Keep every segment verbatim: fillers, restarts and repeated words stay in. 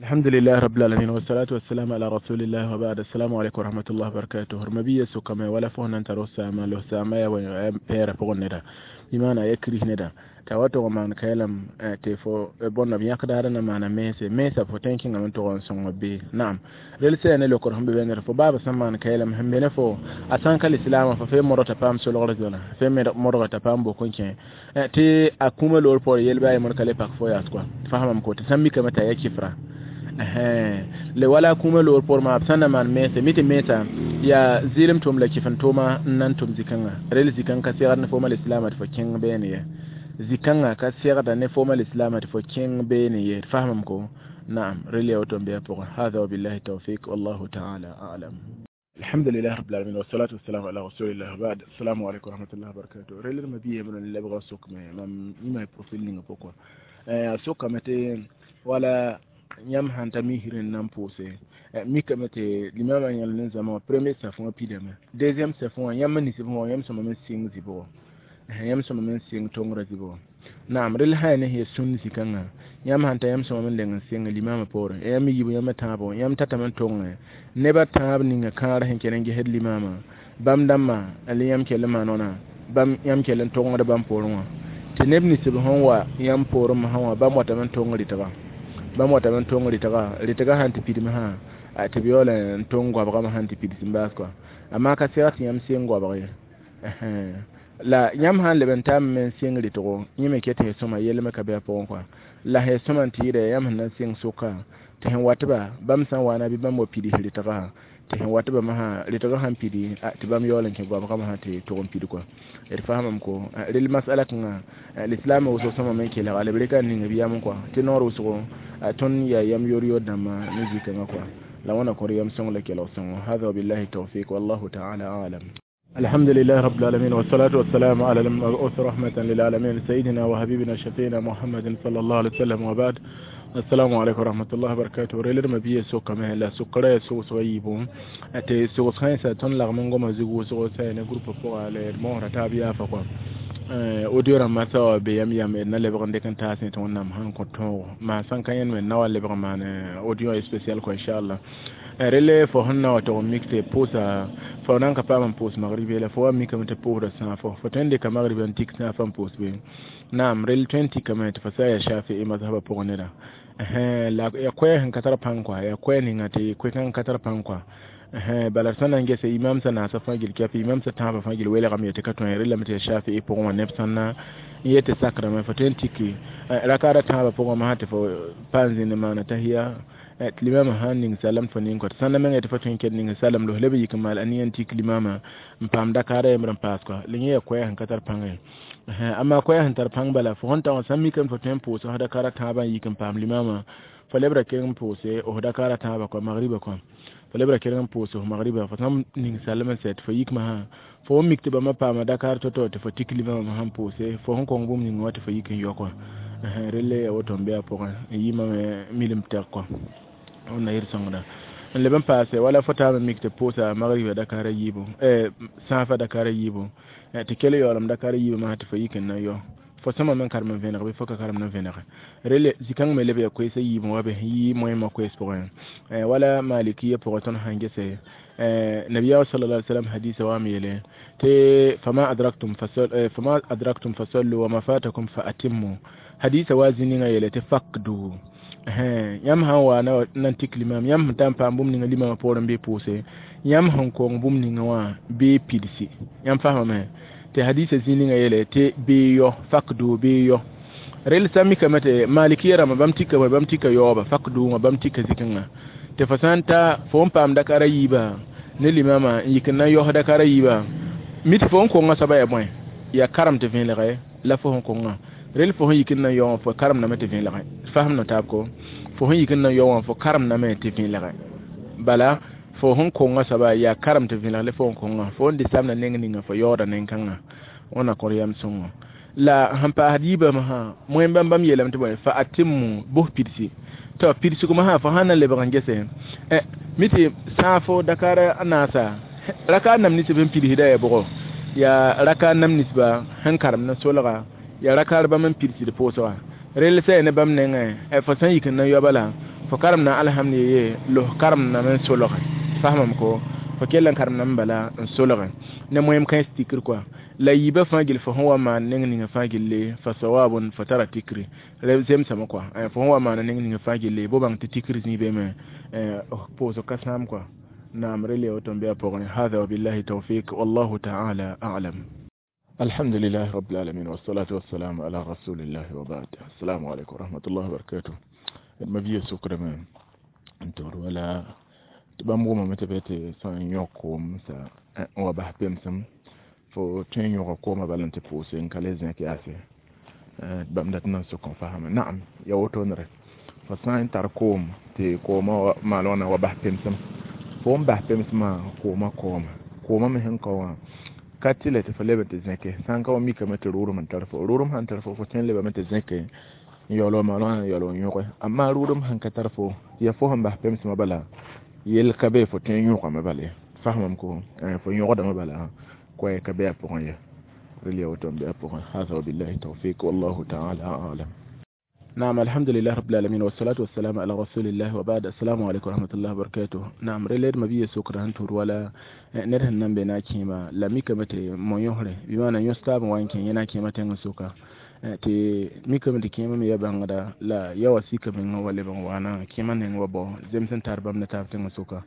الحمد لله رب العالمين والصلاة والسلام على رسول الله وبعد السلام عليكم ورحمة الله وبركاته رمبية سوكما ولا فهنا أنت رسا ما لو ساما يا بير بغندا بمعنى يكره ندا t'a wa tog n maan kaɛlem tɩ fo bõnda b yãkdaadã na maana mense mensã fo tõe n kẽngame n tog n sõng bee naam rel sã ne lokr sẽn be bẽndr fo baaba sẽn maan kaɛlem sẽn be ne fo a sã n ka lislaamã fo fee modg t'a paam solgr zõna fee modga t'a paam bok n kẽ tɩ a kũumã loor poor yel bɩ a yembr ka le pak fo yaas kɔa fasamame ko tɩ sã n mikame t'a ya kɩfra le wala kũumã loor poor maa b sã n na maan mense mi tɩ mensã yaa zɩɩlem tʋʋm la kɩf n tʋʋma n na n tʋm zĩ-kãngã rel zĩ-kãng ka segd ne fooma lislaamã tɩ fo kẽng beene ye zĩ-kãngã ka segda ne fooma lislaamã tɩ fo kẽng beene ye d fasamame ko naam rel yaa woto n bɩ a pʋgẽ hada wabillahi tawfik wallahu taala alam الحمد لله رب العالمين والصلاة والسلام على رسول الله بعد السلام عليكم ورحمة الله وبركاته rel ma biye mun lebga sok me mam ima profil ninga pokwa eh sokame tɩ wala yãmb sãn ta misr n na n pʋʋse mikame tɩ limamã yãl ne zãma wã premier safẽ wã pidame deuxième safẽ wã yãmb n nisb wã yãmb sõma me sɩng zɩbgo yãmb sõma me n sɩng tongrã zɩbgo naam rel sã ya ne sẽn sũnd zĩ-kãngã yãmb sãn ta yãmb sõma me n leng n sɩng limamã poorẽ yãmb yiib yãmb tãabo yãmb tatame n tongẽ nebã tãab ninga kãar sẽn kell n gesd limamã bãmb dãmbã la yãmb kell n maan wãna bãmb yãmb kell n tongd bãmb poorẽ wã tɩ neb ninsb sẽn wa yãmb poorẽ sã wã bãmb watame n tong rɩtga bãmb watame n tong rɩtga rɩtga sãn tɩ pidme sã tɩ b yaool n tong goabgame sãn tɩ pids n baas kɔa amaa ka seg tɩ yãmb seng goabg ye la yãmb sãn leb n taame me n sɩng rɩtgo yẽ me ket sẽn sõma yell me ka bɩ a pʋgẽ kɔa la sẽn sõma n tɩ yɩɩda yãmb sẽn na n sɩng sʋka tɩ sẽn watba bãmb sã n waana bɩ bãmb wa pids rɩtgã tɩ sẽn watba masã rɩtgã sãn pidi tɩ bãmb yaool n kẽ goabgame sã tɩ tʋg n pid kɔa d fasamame ko rel masala kãngã lislaamã wʋsg sõma me n kelga la b reka n ning b yam kɔa tɩ noor wʋsgo tõnd yaa yam yor-yor dãmba ne zĩ-kãngã kɔa la wãna kõr yam sõng la kelg sõngo hada wabillahi tawfik wallahu taala alam الحمد لله رب العالمين والصلاة والسلام على المبعوث رحمة للعالمين سيدنا وحبيبنا شفينا محمد صلى الله عليه وسلم وبعد السلام عليكم ورحمة الله وبركاته ريلر ما بيه سوق ما لا سكرة سوق سويبو أتي سوق خمسة تون لغمون قام زيجو سوق سين جروب فوق على المهرة تابيا فقط audio rãmbã sa be yam yam d na lebg n dɩk n taas tɩ wẽnnaam sãn kõ tõogo maa sãn ka yẽnd me na wa lebg n maan audio spécial kɔ inchallah rele fo sẽn na wa tog n mik tɩ pʋʋsa fo nan ka paam n pʋʋs magribe la fo wa mikame tɩ pʋʋsda sãafo fo tõe n dɩka magriba n tik sãafã n pʋʋs be naam rel tõe n tikame tɩ fo sa yaa shafii mazhaba pʋgẽ neda la ya koɛɛ sẽn ka tar pãng kɔa yaa koɛɛ ninga tɩ koe-kãng ka tar pãng kɔa bala sã na n gese imam sã naasã fãa gil kɛf imam sã tãabã fãa gil welgame tɩ ka tõe relame tɩ yaa shafii pʋgẽ wã neb sãn na n yet tɩ sakrame fo tõe n tiki rakaada tãabã pʋgẽ masã tɩ fo pa n zĩnd maana tahiya tɩ limamã sãn ning salam fo ning kɔ tɩ sãn na mengã tɩ fo tõe n ket ning salam los leb yik n maal aniya n tik limamã n paam dakaara yembr n paas kɔa la yẽ yaa koɛɛ sẽn ka tar pãngã ye amma koɛɛ sẽn tar pãng bala fo sẽn ta wã sãn mikame fo tõe n pʋʋs f dakaara tãabã n yik n paam limamã fo lebra keng n pʋʋse f dakaara tãabã kɔa magriba kɔa fo lebra kelg n pʋʋs f magriba fo sãn ning salem n sɛ tɩ fo yik masã fo n mik tɩ bãmba paama dakaar to-to tɩ fo tik limamã sãn pʋʋse fo sẽn kõng bũmb ninga wã tɩ fo yik n yao kɔa relle ya woto n bɩ a pʋgẽ n yimame milim tɛg kɔa wẽnna yɩr sõngda n leb n paase wala fo taame mik tɩ pʋʋsa magriba dakaara yiibu sãafã dakaara yiibu tɩ kell yaoolem dakaara yiibã masã tɩ fo yik n na yao fo sõma me n karem n vẽneg bɩ fo ka karem n vẽnege rele zĩ-kãng me leb yaa koeesã yiibẽ wa be yɩ moẽmã koees pʋgẽ wala malikiya pʋgẽ tõnd sãn gese nabiya sallallahu alaihi wasallam hadisa wa yele te fama adraktum fasal fama adraktum fasallu wa ma fatakum fa atimmu hadisa wa zininga yele te fakdu yãmb sãn wa na n tik limam yãmb sẽn ta n paam bũmb ninga limamã poorẽ bɩ pʋʋse yãmb sẽn kong bũmb ninga wã bɩ pidsi yãmb fasamame tɩ hadisa zĩ ninga yele tɩ bɩ yao fakdu bɩ yao rel sã mikame tɩ malikiya rãmbã bãmb tika bãmb tika yaooba fakdu wã bãmb tika zĩ-kãngã tɩ fo sã n ta fo n paam dakara yiiba ne limamã n yik n na n yaos dakara yiiba mi tɩ fo n konga soaba yaa bõe yaa karem tɩ vẽelge la fo sẽn konga rel fo sẽn yik n na n yao wã fo karemdame tɩ vẽelge fasem na taab ko fo sẽn yik n na n yao wã fo karemdame tɩ vẽelge bala fo sẽn konga soaba yaa karem tɩ vẽelg la fo sẽn konga fo n dɩ samda neng ninga fo yaooda nen-kãngã wẽnna kõr yam sõngo la sẽn paasd yiibã masã moẽm bãmb bãmb yeelame tɩ bõe fa atimmu bos pidsi tɩ pidsg masã fo sãn na lebg n gese mi tɩ sãafo dakaara naasa raka nam ninsb sẽn pidsda yaa bʋgo yaa raka nam ninsba sẽn karem ne solga yaa rakaar bãmb n pidsd pʋʋsga rel sã ne bãmb nengẽ fo sã n yik n na yaoba la Fo karemda alhamd ye los karemdame n solge fasmame ko fo kell n karemdame bala n solge ne moem kãens tikr kɔa la yiibã fãa gill fo sẽn wa maan neng ninga fãa gilli fa sawabun fo tara tikri zemsame kɔa fo sẽn wa maana neng ninga fãa gilli bo bãng tɩ tikr zĩig beeme pʋʋsg ka sãam kɔa naam rel ya woto n be a pʋgẽ hada wabillahi tawfik wallahu taala alam. الحمد لله رب العالمين والصلاة والسلام على رسول الله وبعد. السلام عليكم ورحمة الله وبركاته. Ma biya sukrame n togd wala tɩ bãmb wʋmame tɩ be tɩ sã n yõk koom sa n wa bas pemsem fo tõe n yõga koomã bala n tɩ pʋʋse n ka le zẽk yaase bãmb dat n na n sok n fasame naam ya wotone fo sã n tar koom tɩ koomã maal wãna wa bas pemsem fo n bas pemsmã koomã kaoome koomã me sẽn kao wã ka tɩ la tɩ fo leb n tɩ zẽke sã n ka wa mikame tɩ rʋʋdem n tar fo rʋʋdem sãn tar fo fo tõe n lebame tɩ zẽke n yaool wa maal wãna n yaool n yõge amma rʋʋdem sãn ka tar fo ya fo sẽn bas pemsmã bala yel ka be fo tõe n yõgame bala ye fasmame ko fo yõgdame bala koɛɛ ka be a pʋgẽ ye rel ya woto n be a pʋgẽ hada wabillahi tawfik wallahu taala alam. نعم الحمد لله رب العالمين والصلاة والسلام على رسول الله وبعد. السلام عليكم ورحمة الله وبركاته. نعم ريلير ما بيه سكر هنتور ولا نره نمبي كيما لا ميكا متي مو يوهره بمعنى يستاب وان كين ينا كيما تنغ سوكا tɩ mikame tɩ kẽema me ya bãngda la ya wa sika mengã wa leb n waana kẽema neng wa bao zems n tar bãmb ne taab tẽngã sʋka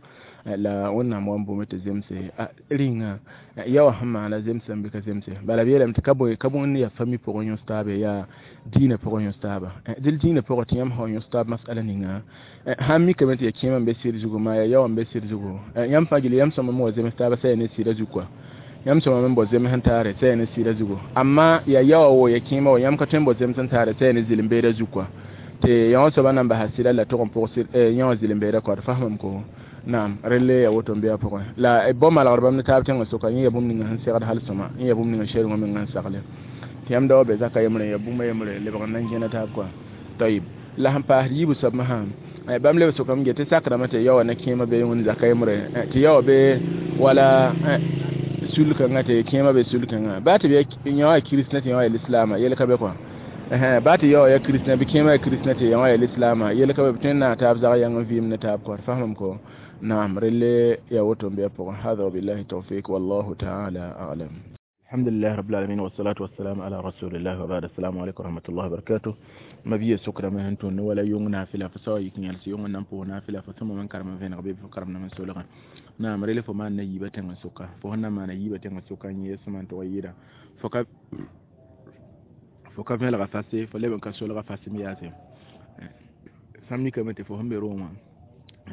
la wẽnnaam wa n boome tɩ zemse rĩnga ya wa sẽn maana zemsã bɩ ka zemse bala b yeelame tɩ ka bõe ka bõe yaa fami pʋgẽ yõs taabe yaa dĩinã pʋgẽ yõs taaba dɩl dĩinã pʋgẽ tɩ yãmb sã yõs taab masala ninga sãn mikame tɩ yaa kẽema n be sɩd zugu maa yaa yaoã n be sɩd zugu yãmb fãa gilli yãmb sõma me wa zems taaba sã yaa ne sɩda zug kɔa yãmb sõma me n bao zems n taare sã yaa ne sɩda zugu amma yaa yaoã wo ya kẽema wa yãmb ka tõe n bao zems n taare sã yaa ne zɩlem-beedã zug kɔa tɩ yã wã soaba nan basa sɩda la tʋg n pʋgs yã wã zɩlem-beedã kɔa d fasmame ko naam relle ya woto n be a pʋgẽ la bao malgd bãmb ne taab tẽngã sʋka yẽ ya bũmb ninga sẽn segd hal sõma yẽ ya bũmb ninga sɛrengã menga n sagle tɩ yãmb da wa be zaka yembre ya bũmba yembre lebg n na n gẽna taab kɔa tayib la sẽn paasd yiibu soab masã bãmb leb sʋkame ge tɩ sakrame tɩ yaoã ne kẽema be wẽnd zaka yembre tɩ yaoã be wala sul kãngã tɩ kẽema be sul kãngã baa tɩ b yã wã kiristã tɩ yã wã yaa lislaama yel ka be kɔa baa tɩ yaoã yaa kiristã bɩ kẽema yaa kiristã tɩ yã wã yaa lislaama yel ka be b tõe n naag taab zag yãng n vɩɩm ne taab kɔa d fasmame ko نعم رلي يا وتم بيبقى هذا وبالله التوفيق والله تعالى أعلم. الحمد لله رب العالمين والصلاة والسلام على رسول الله وبعد. السلام عليكم ورحمة الله وبركاته. ما بيه سكر ما هنتون ولا يوم نافلة فسوا يكن يلسي يوم نمبو نافلة فثم من كرم فين غبي فكرم من سولغا نعم رلي فما نيبة تنسوكا فهنا ما نيبة تنسوكا يسمى تويدا فك فك فين الغفاسي فلبن كسول غفاسي مياسي سامي كم تفهم بروما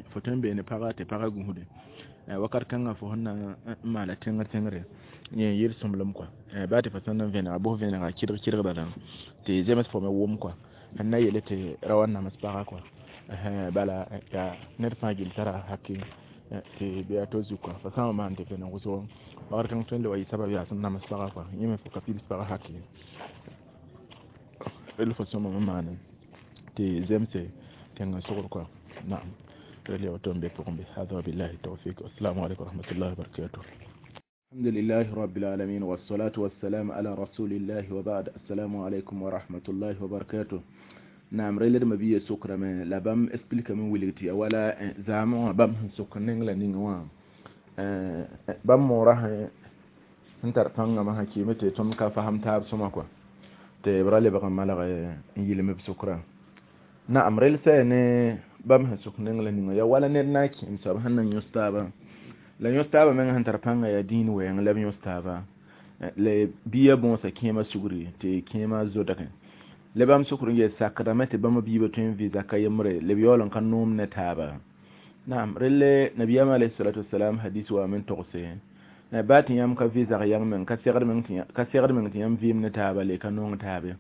fo tõe n beene pagã tɩ pagã gũusde wakat kãngã fo sẽn na n maala tẽngr tẽngre yẽ n yɩl sõmblem kɔa baa tɩ fo sẽn na n vẽnega bʋs vẽnega kɩdg kɩdgda tɩ zems fo me wʋm kɔa sẽn na yele tɩ ra wa nams pagã kɔa bala yaa ned fãa gill tara haki tɩ bɩ a to zug kɔa fo sã n wa maan tɩ vẽneg wʋsgo wakat kãng tõe n le wa yɩ sabab yaa sẽn nams pagã kɔa yẽ me fo ka pids pagã haki rel fo sõma me maane tɩ zemse tẽngã sogr kɔa naam هذا وبالله التوفيق والسلام عليكم ورحمة الله وبركاته. الحمد لله رب العالمين والصلاة والسلام على رسول الله وبعد. السلام عليكم ورحمة الله وبركاته. نعم ريلر ما بيه سكر ما لبام اسبلك من ولغتي ولا زعما بام سكر نينغلا نينغوا بام مورا انتر فanga ma hakimete tom ka faham taab soma kwa te brale ba malaga yilme sukra naam rel sene bãmb sẽn sʋk neng la ninga ya wala ned na n kẽem soab sẽn na n yõs taaba la yõs taaba meng sẽn tar pãnga yaa dĩin wɛɛng la b yõs taaba la bia bõosa kẽema sugri tɩ kẽema zodgẽ la bãmb sʋkr n yel sakdame tɩ bãmb biibã tõe n vɩ zaka yembre la b yaool n ka noom ne taaba naam relle nabiyaam alayhi salatu wasalam hadis waame n togse baa tɩ yãmb ka vɩ zag yãng meng ka segd meng tɩ yãmb vɩɩm ne taaba le ka nong taabe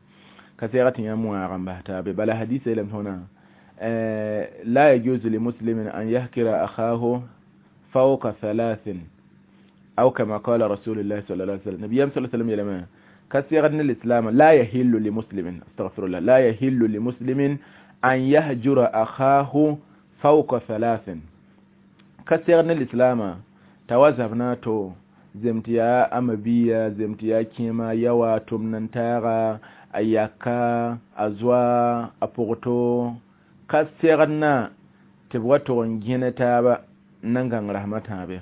ka segd tɩ yãmb wãag n bas taabe bala hadis yeelame tõna لا يجوز لمسلم أن يهكر أخاه فوق ثلاث أو كما قال رسول الله صلى الله عليه وسلم النبي صلى الله عليه وسلم يلما كسيغن الإسلام لا يحل لمسلم استغفر الله لا يحل لمسلم أن يهجر أخاه فوق ثلاث كسيغن الإسلام توزبنا تو zemtiya amabiya zemtiya kema yawa tumnantara ayaka azwa apogto Ka segd na tɩ b wa tog n gẽne taaba n na n gãng rasmã tãabe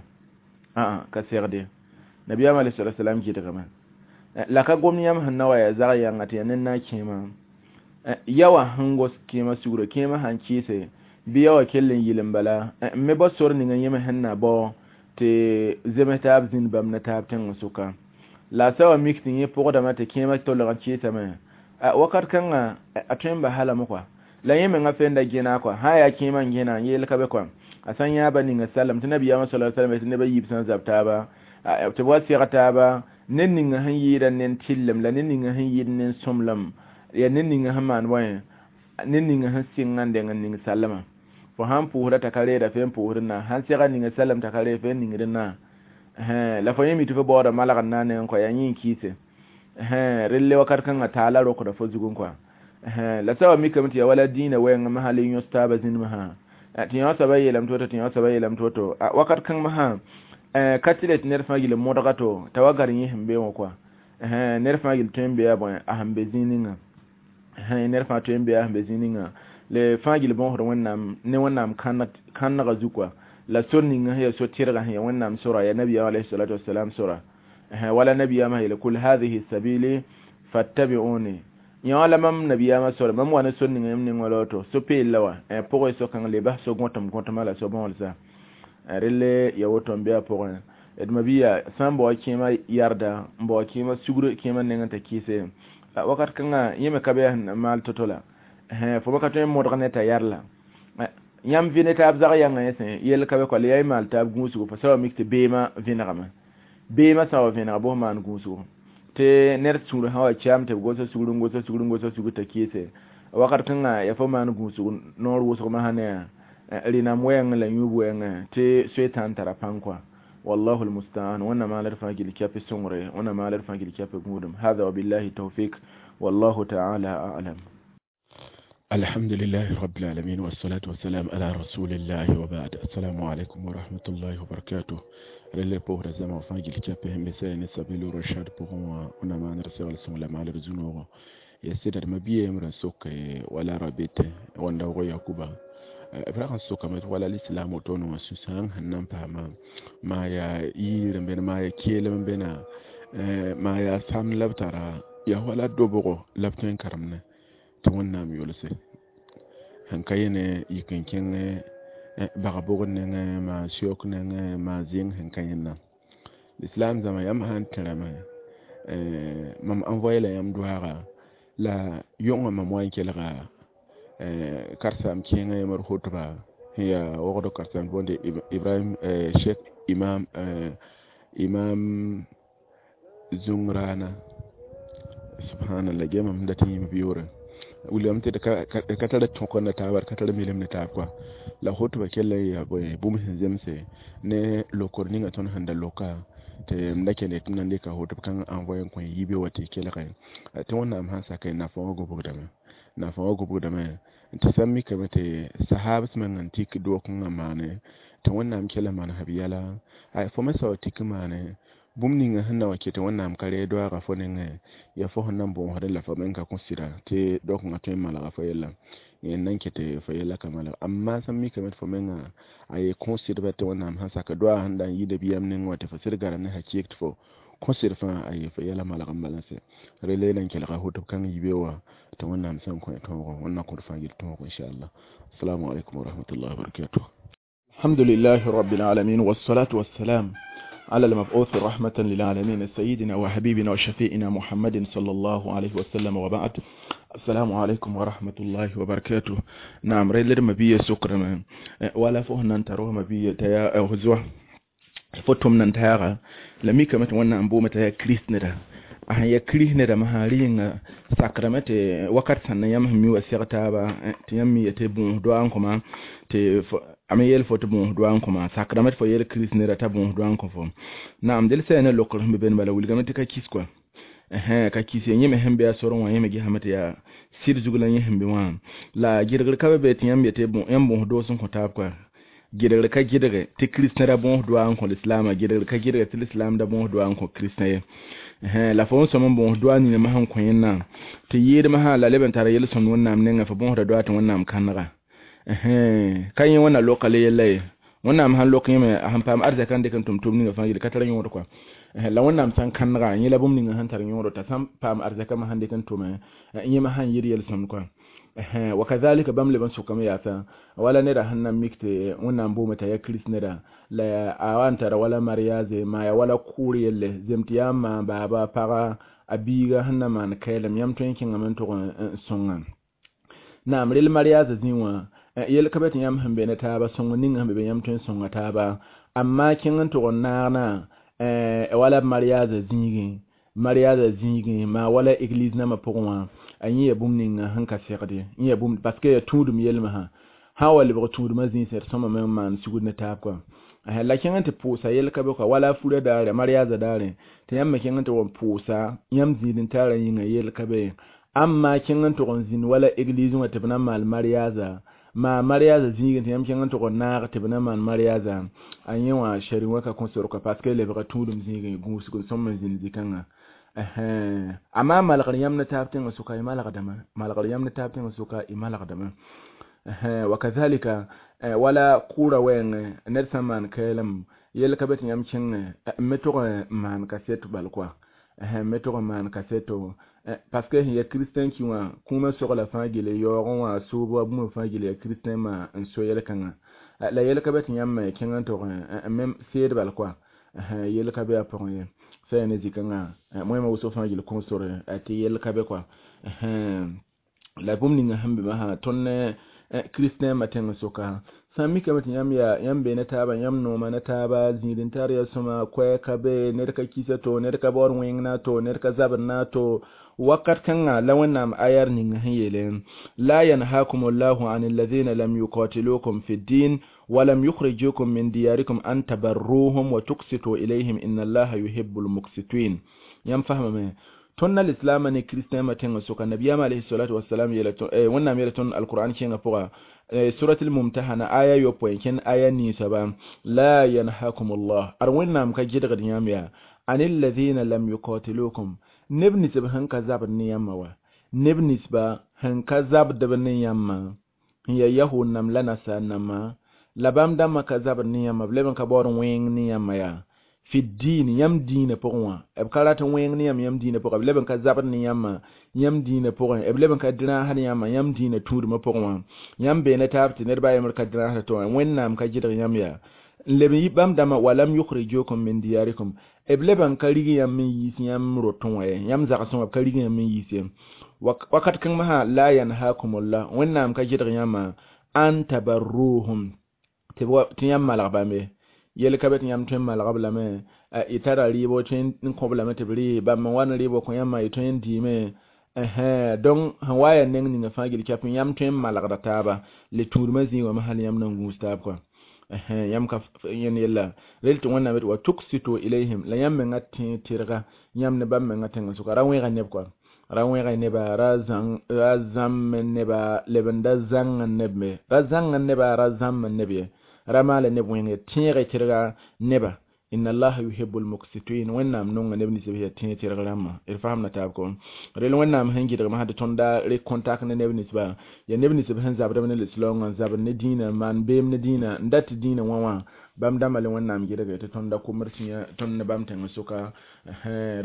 ã ka segde nabiyaam alayhi salatu wasalam gɩdgame la ka gom yãmb sẽn na wa yaa zag yãnga tɩ yaa ned na n kẽema ya wã sẽn gos kẽemã sugr kẽemã sãn kɩɩse bɩ ya wã kell n yɩl n bala n me bao sor ninga yẽme sẽn na bao tɩ zems taab zĩnd bãmb ne taab tẽng sʋka la a sa wa mik tɩ yẽ pʋgdame tɩ kẽemã tolg n kɩɩsame wakat kãngã a tõe n ba halame kɔa la yẽ menga fenda gẽna kɔa sã n yaa kẽemã n gẽna n yeel ka be kɔa a sã n yãaba ninga salem tɩ nabiyaamã sala sallam tɩ neb a yiib sã n zab taaba tɩ b wa seg taaba ned ninga sẽn yɩɩda ned tɩllem la ned ninga sẽn yɩɩd ned sõmblem yaa ned ninga sẽn maan bõe ned ninga sẽn sɩng n deng n ning sallmã fo sãn pʋʋsda t'a ka reeda fe n pʋʋsd na sãn sega ninga salem t'a ka reed fe n ningd na la fo yẽ mi tɩ fo baooda malgd na nengẽ kɔa yaa yẽ n kɩɩse relle wakat kãngã taala rokda fo zugẽ kɔa la sa wa mikame tɩ yaa wala dĩinã wɛɛngẽ masã le yõs taabã zĩnd masã tɩ yã soaba yeelame tɩ woto tɩ yã soaba yeelame tɩ woto wakat kãng masã ka tɩ le tɩ ned fãa gil n modga to t'a wa gar yẽ sẽn be wã kɔa ned fãa gil tõe n be a bõe a sẽn be zĩig ninga ned fãa tõe n be a sẽn be zĩig ninga le fãa gil bõosd wẽnnaam ne wẽnnaam kãnegã zu kɔa la sor ninga sẽn yaa so-tɩrgã sẽn yaa wẽnnaam sora yaa nabiyaam alayhi salatu wasalam sora wala nabiyaamã yeele kul hadhihi sabili fattabi'uni yã la mam nabiyaamã sora mam wa ne sor ninga yãmb ning wala woto so-peel la wa pʋgẽ so-kãng le bas so gõtem gõtema la so-bõolsa relle ya woto n be a pʋgẽ d mabiya sã n bao kẽemã yarda n bao kẽemã sugr kẽemã nengẽ t'a kɩɩse wakat kãngã yẽ me ka be sẽn maal to-to la fo me ka tõe n modg ne t'a yar la yãmb vɩ ne taab zag yãngã yẽ sẽ yell ka be kɔa la yaa y maal taab gũusgo fo sa wa mik tɩ beemã vẽnegame beemã sã wa vẽnega bos maan gũusgo tɩ ned sũur sã wa chaam tɩ b gosa sugr n gosa sugr n gosa sugr t'a kɩɩse wakat kãngã yaa fo maan gũusg noor wʋsg masã ne yaa rɩnam wɛɛngẽ la yũub wɛɛngẽ tɩ soetãn tara pãng kɔa والله المستعان وانا ما لرفع جل كافي سمري وانا ما لرفع جل كافي قودم هذا وبالله التوفيق والله تعالى أعلم. الحمد لله رب العالمين والصلاة والسلام على رسول الله وبعد. السلام عليكم ورحمة الله وبركاته. رلي بوهر زما وفاجل كافي هم بسين سبيل رشاد بوهوا وانا ما نرسل سملا ما لرزونو يسير ما بيه يمر سوك ولا ربيت وانا وياكوبا b ra sẽn sokame tɩ wala lislaam woto-ne wã sũ-sãang sẽn na n paama maa yaa yɩɩr n bẽne maa yaa keelem n bẽna maa yaa sam la b tara yaa wala dobgo la b tõe n karemne tɩ wẽnnaam yʋlse sẽn ka yẽne yik n kẽng bag bʋgd nengẽ maa sɛook nengẽ maa zẽng sẽn ka yẽnna lislaam zãma yãmb sã n tẽrame mam envoye la yãmb doaaga la yõngã mam wa n kelga karsaam kẽengã yãmb d hotba sẽn yaa wogd karsaam boonde Ibrahim Cheikh Imam Imam Zungrana subhanallah ge mam dat yĩm b yʋʋre wilgame tɩ d ka tara tõk ne taaba d ka tar milem ne taab kɔa la hotba kell n yaa bõe bũmb sẽn zemse ne lokr ninga tõnd sẽn da loka tɩ m da kell tɩ m na n dɩka hotb kãng envoye n kõ yibe wa tɩ kelge tɩ wẽnnaam sãn sake nafã wã gobgdame nafã wã gobgdame tɩ sã n mikame tɩ sahabs meng n tik dook-kãngã maane tɩ wẽnnaam kell n maan b yɛla fo me sao tik maane bũmb ninga sẽn na wa ket wẽnnaam ka reeg doaaga fo nengẽ yaa fo sẽn na n bõosdẽ la fo meng ka kõ sɩda tɩ doak-kãngã tõe n malga fo yella yẽ n na n ket fo yɛla ka malg amma sã n mikame tɩ fo menga a ye kõ sɩdba tɩ wẽnnaam sãn sak doaa sẽn da n yɩɩda biyam neng wã tɩ fo sɩd gara ne hakɩɩk tɩ fo kõ sɩd fãa a ye fo yɛla malg n bala sɛ rele la n kelga hotb kãng yibe wã tɩ wẽnnaam sẽn kõ tõogo wẽnnaam kõd fãa gil tõogo inchallah. Assalamu alaikum wa rahmatullahi wa barakatuh. الحمد لله رب العالمين والصلاة والسلام على المبعوث رحمة للعالمين سيدنا وحبيبنا وشفيئنا محمد صلى الله عليه وسلم وبعد. السلام عليكم ورحمة الله وبركاته. نعم ريلر مبيه سكر ولا فهنا نتروه مبيه تيا هزوا فتم ننتهى لمي كما توانا أنبو متى كريست ندا a ya kri ne da mahari sakrame te wakat sanna yam mi wa sɛg ba tɩ yãmb mi tɩ bõos doa n kõma tɩ a me yeel fo tɩ bõos doa n kõma sakrame tɩ fo yeel kirist neda t'a bõos doa n kõ fo naam del sã ne lokr sẽn be bẽn bala wilgame tɩ ka kis kɔa ka kis yẽ me sẽn be a sorẽ wã yẽ me gesame tɩ yaa sɩd zug la yẽ sẽn be wã la gɩdgr ka be be tɩ yãmb yetɩ yãmb bõos doos n kõ taab kɔa gɩdgr ka gɩdge tɩ kirist neda bõos doa n kõ lislaamã gɩdgr ka gɩdge tɩ lislaam da bõos doa n kõ kirist ye la fo n sõm n bõos doa nina masã n kõ yẽnna tɩ yɩɩdmã sã la leb n tara yel-sõmd wẽnnaam nengã fo bõosda doa tɩ wẽnnaam kãnega Ka yẽ wẽnna loka le yella ye wẽnnaam sãn lok yẽme a sẽn paam arzɛka n dɩk n tʋm tʋʋm ninga fãa yel ka tar yõod kɔa. La wẽnnaam sã n kãnega yẽ la bũmb ninga sẽn tar yõodo t'a sãn paam arzɛkã me sãn dɩk n tʋme yẽme sãn yɩ yel-sõmd kɔa. Wa kazalika bãmb leb n sʋkame yaasa wala neda sẽn na n mik tɩ wẽnnaam boome t'a yaa kirist neda la a wa n tara wala mariaze maa ya wala kʋʋr yelle zem tɩ yaa n maan baaba paga a biiga sẽn na maan kɛɛlem yãmb tõe n kẽngame n tʋg n sõnga naam rel mariaze zĩ wã yel ka be tɩ yãmb sẽn be ne taaba sõng ning sẽn be be yãmb tõe n sõnga taaba amma kẽng n tʋg n naagna wala mariaze zĩigẽ mariaze zĩigẽ maa wala église nambã pʋgẽ wã a yẽ ya bũmb ninga sẽn ka segd ye yẽ ya bũmb parce que ya tũudum yelmã sã wa lebg tũudmã zĩisẽ d sõma me n maan sugd ne taab kɔa. La kẽng n tɩ pʋʋsa yel ka be kɔa wala a furã daare mariaza daare tɩ yãmb me kẽng n tɩ wa pʋʋsa yãmb zĩid-n-taarã yĩnga yel ka be amma kẽng n tʋg n zĩnd wala église wã tɩ b na n maal mariaza maa mariaza zĩigẽ tɩ yãmb kẽng n tʋg n naag tɩ b na maan mariaza a yẽ wã shari wã ka kõ sor kɔa parce que lebga tũudum zĩigẽ gũusg n sõm n zĩnd zĩ-kãngã. Amma malgr yãmb ne taab tẽngã sʋka y malgdame malgr yãmb ne taab tẽngã sʋka y malgdame. Wa kazalika wala kʋʋra wɛɛngẽ ned sã n maan kɛɛlem yel ka be tɩ yãmb kẽngẽ n me tʋg n maan kaseto bal kɔa n me tʋg n maan kaseto parce que sẽn ya kiristɛn ki wã kũumã sogla fãa gele yaoogẽ wã soob wa bũmb fãa gele ya kiristɛn maa n so yel-kãngã la yel ka be tɩ yãmb me kẽng n tʋg n me seed bal kɔa yel ka be a pʋgẽ ye sã yaa ne zĩ-kãngã moẽmã wʋsg fãa gil kõ sore tɩ yel ka be kɔa. La bũmb ninga sẽn be masã tõnd ne kristɛn ma tẽng sʋka sã n mikame tɩ yãmb yaa yãmb bee ne taaba yãmb nooma ne taaba zĩig-n-tar yaa sõma koɛɛg ka be ned ka kisa to ned ka baood wẽng na to ned ka zabd na to wakat kãnga la wẽnnaam ayar ning sẽn yeele la yanhakum llahu an alladhina lam yuqatilukum fi ddin walam yukhrijukum min diyarikum an tabarruhum wa tuqsitu ilayhim inna allaha yuhibbul muqsitin. Yãmb fasmame tõnd na lislaamã ne kristɛmã tẽngã sʋka nabiyaam alayhi salatu wasalam yeela wẽnnaam yeela tõnd alqur'an kẽngã pʋga suratul mumtahana aya yopoe kẽnd aya ninsaba la yanhakum llah ad wẽnnaam ka gɩdgd yãmb yaa an alladhina lam yuqatilukum neb ninsb sẽn ka zabd ne yãmba wa neb ninsba sẽn ka zabdb ne yãmba n yaa yahud nam la nasaar nambã la bãmb dãmbã ka zabd ne yãmba b leb n ka baood wẽng ne yãmba yaa fi diin yãmb dĩinã pʋgẽ wã b ka rat n wẽng ne yãmb yãmb dĩinã pʋgẽ b leb n ka zabd ne yãmba yãmb dĩinã pʋgẽ b leb n ka dɩrãasd yãmba yãmb dĩinã tũudmã pʋgẽ wã yãmb bee ne taab tɩ ned ba yembr ka dɩrãasd tɩ wã wẽnnaam ka gɩdg yãmb yaa n leb n yi bãmb dãmbã walam yukhrijukum min diyarikum b leb n ka rig yãmb n yiis yãmb rotẽ wã ye yãmb zagsẽ wã b ka rig yãmb n yiis ye wakat kãng masã la yanhakumullah wẽnnaam ka gɩdg yãmba an tabarruhum tɩ yãmb malg bãmbe yel ka be tɩ yãmb tõe n malg b lame y tara rɩɩbo tõe n kõ b lame tɩ b rɩ bãmb n wa ne rɩɩbo kõ yãmba y tõe n dɩɩme donc sẽn wa yaa neng ninga fãa gil kɛp yãmb tõe n malgda taaba le tũudmã zĩig wã hal yãmb na n gũus taab kɔa yãmb ka yẽnd yella rel tɩ wẽnnaam yetɩ wa tuksitu ilayhim la yãmb menga tẽ tɩrga yãmb ne bãmb menga tẽngã sʋka ra wẽega neb kɔa ra wẽega neba ra zãmb neba leb n da zãng neb me ra zãng neba ra zãmb neb ye ra maala neb wẽnge tẽege tɩrga neba inna allaha yuhibbul muqsitin wẽnnaam nonga neb ninsb yaa tẽeg tɩrg rãmbã d fasamda taab kɔ rel wẽnnaam sẽn gɩdgmã sã tɩ tõnd re contact ne neb ninsba yaa neb ninsb sẽn zabdb ne lislaoongã n zabd ne dĩinã n maan beem ne dĩinã n dat tɩ dĩinã wã wã bãmb dãmbã le wẽnnaam gɩdge tɩ tõnd da komd sĩa tõnd ne bãmb tẽng sʋka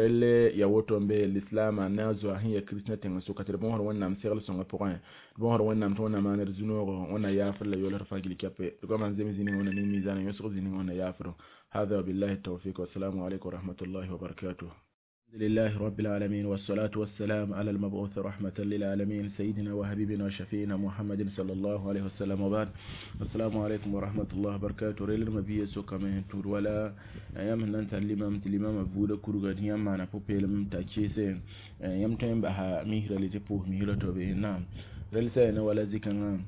relle ya woto n be lislaamã ne a zoa sẽn yaa kristnã tẽng sʋka tɩ d bõosd wẽnnaam segl sõngã pʋgẽ d bõosd wẽnnaam tɩ wẽnnaam maan d zu-noogo wẽnna yaafr la yoolsd fãa gil kɛpe d goamã n zems zĩ ninga wẽnna ning miizaanã yõsg zĩ ninga wẽnna yaafro. هذا بالله التوفيق والسلام عليكم ورحمة الله وبركاته. الحمد لله رب العالمين والصلاة والسلام على المبعوث رحمة للعالمين سيدنا وحبيبنا وشفينا محمد صلى الله عليه وسلم وبعد. السلام عليكم ورحمة الله وبركاته. ريل مبيه سوكا من تور ولا أيام نانت الإمام الإمام بودا كروغا يام معنا بوبيلم تاكيسة يام تيم بها مهرة لتبوه مهرة توبه نعم. ريل سينا ولا زيكنا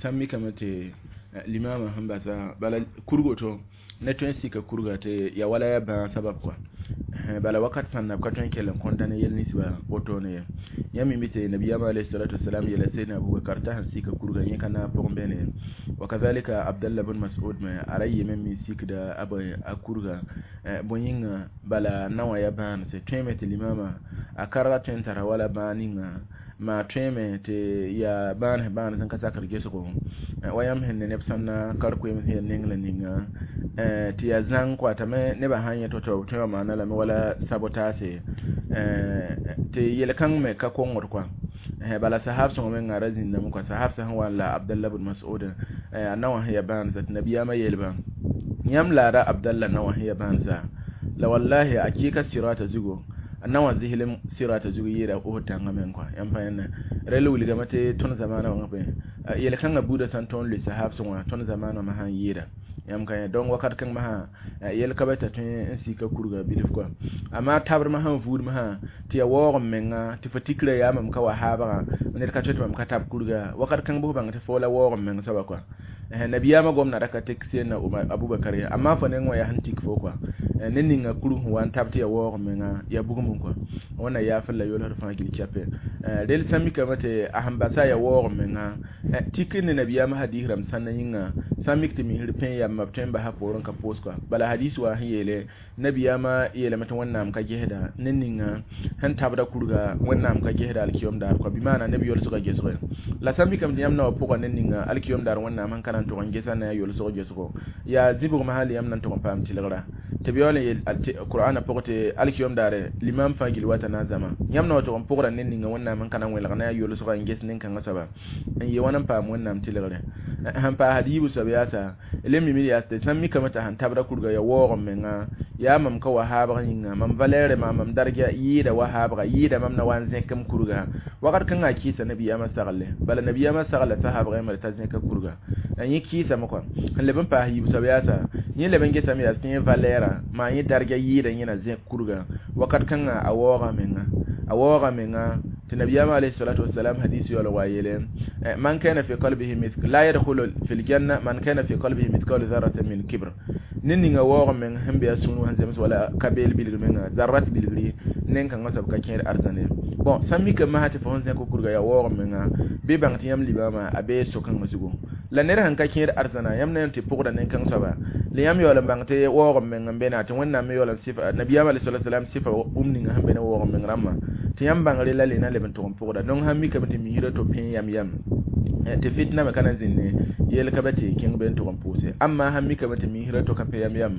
سامي كمتي الإمام هم بس بلا كروغو ne tõe n sika kurga tɩ ya wala ya bãag sabab kɔa bala wakat sãn na b ka tõe n kell n kõnta ne yel ninsba wotone ye yãmb mi tɩ nabiyaamã alayhi salatu wasalam yeela sayyidina abubakar t'a sẽn sika kurga yẽ ka naag pʋgẽ bẽne wa kazalika abdallah bn mas'ud me a ra yeme me sikda a a kurga bõe yĩnga bala na wã ya bãanse tõeme tɩ limama a ka ra tõe n tara wala bãag ninga Ma tõeme tɩ yaa bãan bãan sẽn ka sakr gesgo wa yãmb sẽn ne neb sãn na kar-koeem sẽn yaa neng la ninga tɩ yaa zãng kɔa t'a me nebã sã n yẽ to-to b tõe wã maana lame wala sabotase tɩ yel-kãng me ka kongd kɔa bala sahab sõngo menga ra zĩndame kɔa sahab sẽn wa n la Abdallah bn Mas'ud a naowã sẽn yaa bãansa tɩ nabiyaamã yeelba yãmb laada Abdallah naowã sẽn yaa bãansa la wallahi a kɩɩka sirata zugu a naowã zɩslem sirata zugu yɩɩda Uhud tãngã meng kɔa yãmb pa yẽnda rel wilgame tɩ tõnd zamaanã wã pẽ yel-kãngã buudã sã n tõog n lʋɩ sahab sõnga tõnd zamaanã wã sã n yɩɩda yãmb ka yẽ donc wakat kãng masã yel ka be t'a tõe n sika kurga bilf kɔa amaa tabr masã n vuud masã tɩ ya waoog m menga tɩ fo tikra yaa mam ka wa haabgã ned ka tõe tɩ mam ka tab kurga wakat kãng bʋs bãng tɩ fo la waoog m meng soaba kɔa nabiyaamã gomda ra ka tek seen na Abubakar ye amaa fo neng wã yaa sẽn tik fo kɔa ne ninga kurg sẽn wa n tab tɩ ya waoog m menga ya bugum kɔa wẽnna yaafr la yolsd fãa gil kɛpɛ rel sã mikame tɩ a sẽn basa ya waoog m menga tik ne nabiyaamã hadis rãmb sãnda yĩnga sã n mik tɩ misr pẽ yamba b tõe n basa poorẽ ka pʋʋs kɔa bala hadis wa sẽn yeele nabiyaamã yeelame tɩ wẽnnaam ka gesda ne ninga sẽn tabda kurga wẽnnaam ka gesda alkiyom daar kɔa bɩ maana neb yolsgã gesge la sã n mikame tɩ yãmb na wa pʋga ne ninga alkiyom daar wẽnnaam sẽn ka na n tʋg n gesa ne a yolsg gesgo yaa zibgmã hal yãmb na n tʋg n paam tɩlgra tɩ b yaool n yeel qur'ana pʋgẽ tɩ alkiyom daare limam fãa gil wata na n zãma yãmb na wa tʋg n pʋgra ne ninga wẽnnaam sẽn ka na n wẽlg ne a yolsga n ges nin-kãngã soaba n yee wãn n paam wẽnnaam tɩlgre sẽn paasd yiibu soab yaasa le mim yaa tɩ sã n mikame t'a sẽn tabda kurga ya waoog m menga yaa mam ka wa haabg yĩnga mam valɛɛre maa mam darga yɩɩda wa haabga yɩɩda mam na wa n zẽk m kurga wakat kãngã a kɩɩsa nabiyaamã sagle bala nabiyaamã sagla sahaabg yãmb t'a zẽka kurga yẽ kɩɩsame kɔa sẽn leb n paas yiib soab yaasa yẽ leb n gesame yaa tɩ yẽ valɛɛra maa yẽ darga yɩɩda yẽ na zẽk kurga wakat kãngã a waooga menga a waooga menga tɩ nabiyaamã alayhi salatu wasalam hadis yaool wa yeele man kana fi qalbihi mithq la yadkhulu fi ljanna man kana fi qalbihi mithqalu dharratin min kibr ne ninga waoog meng sẽn be a sũur wã sẽn zems wala ka beel bilgr menga zarrat bilgri nen-kãngã soab ka kẽer arzãne bon sã n mikame masã tɩ fo sẽn zẽk kurga yaa waoog menga bɩ bãng tɩ yãmb limaamã a bee so-kãngã zugu la ned sẽn ka kẽer arzãna yãmb na n tɩ pʋgda nen-kãng soaba la yãmb yaool n bãng tɩ waoog meng n be na tɩ wẽnnaam me yaool n sɩfa nabiyaamã alayhi salatu wasalam sɩfa bũmb ninga sẽn be ne waoog meng rãmbã tɩ yãmb bãngre la le na leb n tʋg n pʋgda donc sãn mikame tɩ misrã to pẽ yam yam tɩ fitna me ka na n zĩnne yel ka be tɩ kẽng be n tʋg n pʋʋse amma sãn mikame tɩ misrã to ka pẽ yam yam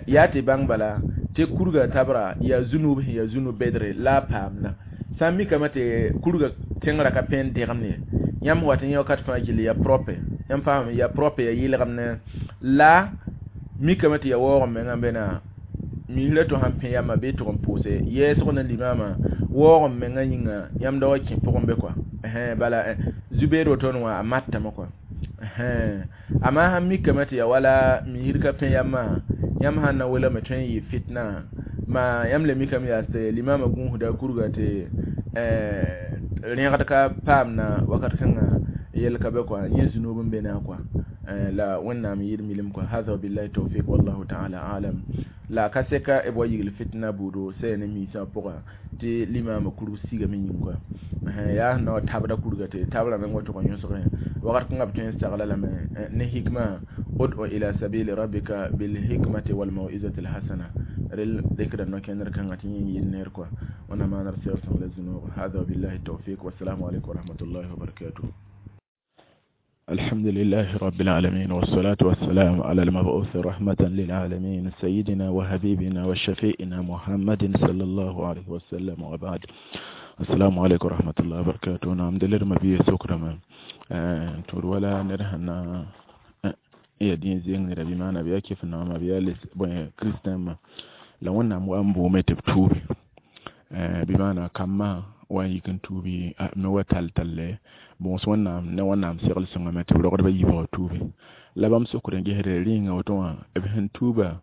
yaa tɩ bãng bala tɩ kurga tabra yaa zunub sẽn yaa zunub bedre la a paamda sã n mikame tɩ kurga tẽngrã ka pẽ n dẽgemd ye yãmb wat n yẽ wakat fãa gilli yaa propre yãmb faamame yaa propre yaa yɩlgemne la mikame tɩ yaa waoog n mengã be na misrã to sãn pẽ yamba bɩ tʋg n pʋʋse yɛɛsg ne limaamã waoog n mengã yĩnga yãmb da wa kẽ pʋgẽ be kɔa bala zu-beed woto wã a matame kɔa amaa sãn mikame tɩ yaa wala misr ka pẽ yambã yãmb sãn na welgme tõe n yɩ fitna ma yãmb le mikame yaa tɩ limaamã gũusda kurga tɩ rẽgd ka paamna wakat kãngã yel ka be kɔa yẽ zunub n be na kɔa la wẽnnaam yɩɩd milim kɔa hada wabillahi tawfiq wallahu taala alam la ka seka b wa yigl fitna buudo sɛ ne miisã pʋga tɩ limaamã kurg sigame yĩng kɔa yaa sẽn na wa tabda kurga tɩ tabrã meng wa tʋg n yõsgẽ wakat kãngã b tõe n sagla lame ne hikma ud'u ila sabili rabbika bilhikmati walmau'izati alhasana rel dɩkda no-kẽndr kãngã tɩ yẽ yɩɩd neer kɔa wẽnnaam maanr segl sõng la zũnoog hada wabillahi tawfiq wassalamu alaikum warahmatullahi wabarakatuh. الحمد لله رب العالمين والصلاة والسلام على المبعوث رحمة للعالمين سيدنا وحبيبنا وشفيئنا محمد صلى الله عليه وسلم وبعد. السلام عليكم ورحمة الله وبركاته. نعم دلر ما بيه سكرما تور ولا نرهنا يا دين زين نربي ما نبيا كيف نعم بيا لس كريستيان ما لو أن مو أمبو متبتور بمعنى كما wa yik n tuubi me wa tall talle bõos wẽnnaam ne wẽnnaam segl sõngame tɩ b rogdbã yiibg tuubi la bãmb sokd n gesd rĩnga woto wã b sẽn tuuba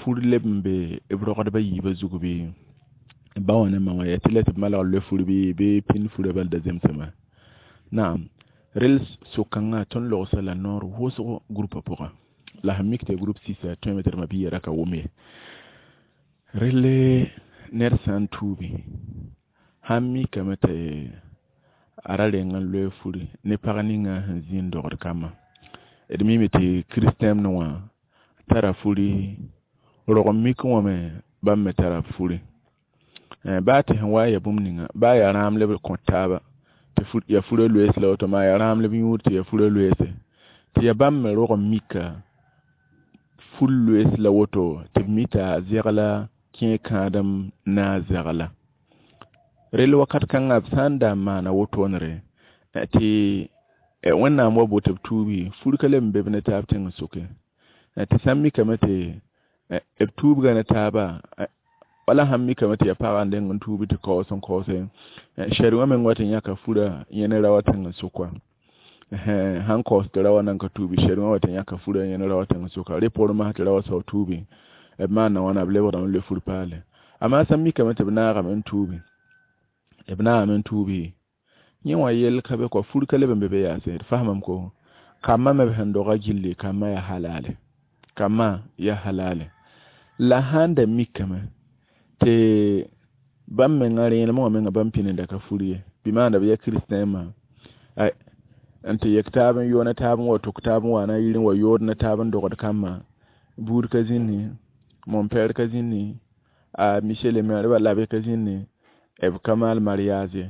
fur leb n be b rogdbã yiibã zug bɩ ba wã ne ma wã yaa tɩ la tɩ b malg loe fur bɩ bɩ pĩnd furã bal da zemsame naam rel so-kãngã tõnd logsa la noor wʋsg groupa pʋgã la sẽn mik tɩ group sisa tõeme tɩ d ma-biigã ra ka wʋm ye relle ned sã n tuubi sãn mikame tɩ a ra reng n loe furi ne pag ninga sẽn zĩ n dogd kambã d mime tɩ kiristɛmd wã tara furi rog n mik wã me bãmb me tara furi baa tɩ sẽn wa n ya bũmb ninga baa yaa rãam la b kõt taaba Tɩ ya fura loees la woto maa ya rãam la b yũud tɩ ya fura loeese tɩ ya bãmb me rog n mika ful loees la woto tɩ b mi t'a zegla kẽe kãadem na a zegla rel wakat kãngã b sã n da n maana wotoonre tɩ Wẽnnaam wa boto b tuubi fur ka leb n be b ne taab tẽng sʋkẽ tɩ sã n mikame tɩ b tuubga ne taaba wala sãn mikame tɩ ya pagã n deng n tuubi tɩ kaoos n kaoose sɛd wã meng wa tɩ yãka fura yẽ ne rao tẽng sʋka sãn kaoos tɩ rao nan ka tuubi sɛd wã wa tɩ yãka fura yẽ ne rao tẽng sʋka rẽ poorẽ masã tɩ rao sao tuubi b maana wãna b lebgdame n loe fur paale amaa sã n mikame tɩ b naagame n tuubi b naagame n tuubi yẽ wã yell ka be kɔ fur ka leb n be be yaase d fasmame ko kambã me b sẽn doga gilli kambã yaa halale kambã yaa halale la sãn da mikame tɩ bãmb menga rẽenemẽ wã menga bãmb pĩninda ka fur ye bɩ maanda b yaa kiristɛ̃mã n tɩ yek taab n yo ne taab n wa tʋk taab n wa na yir n wa yood ne taab n dogd kambã buud ka zĩnni mon-pɛɛr ka zĩnni a monsieur le maire ba l'abbé ka zĩnni b ka maal mariage ye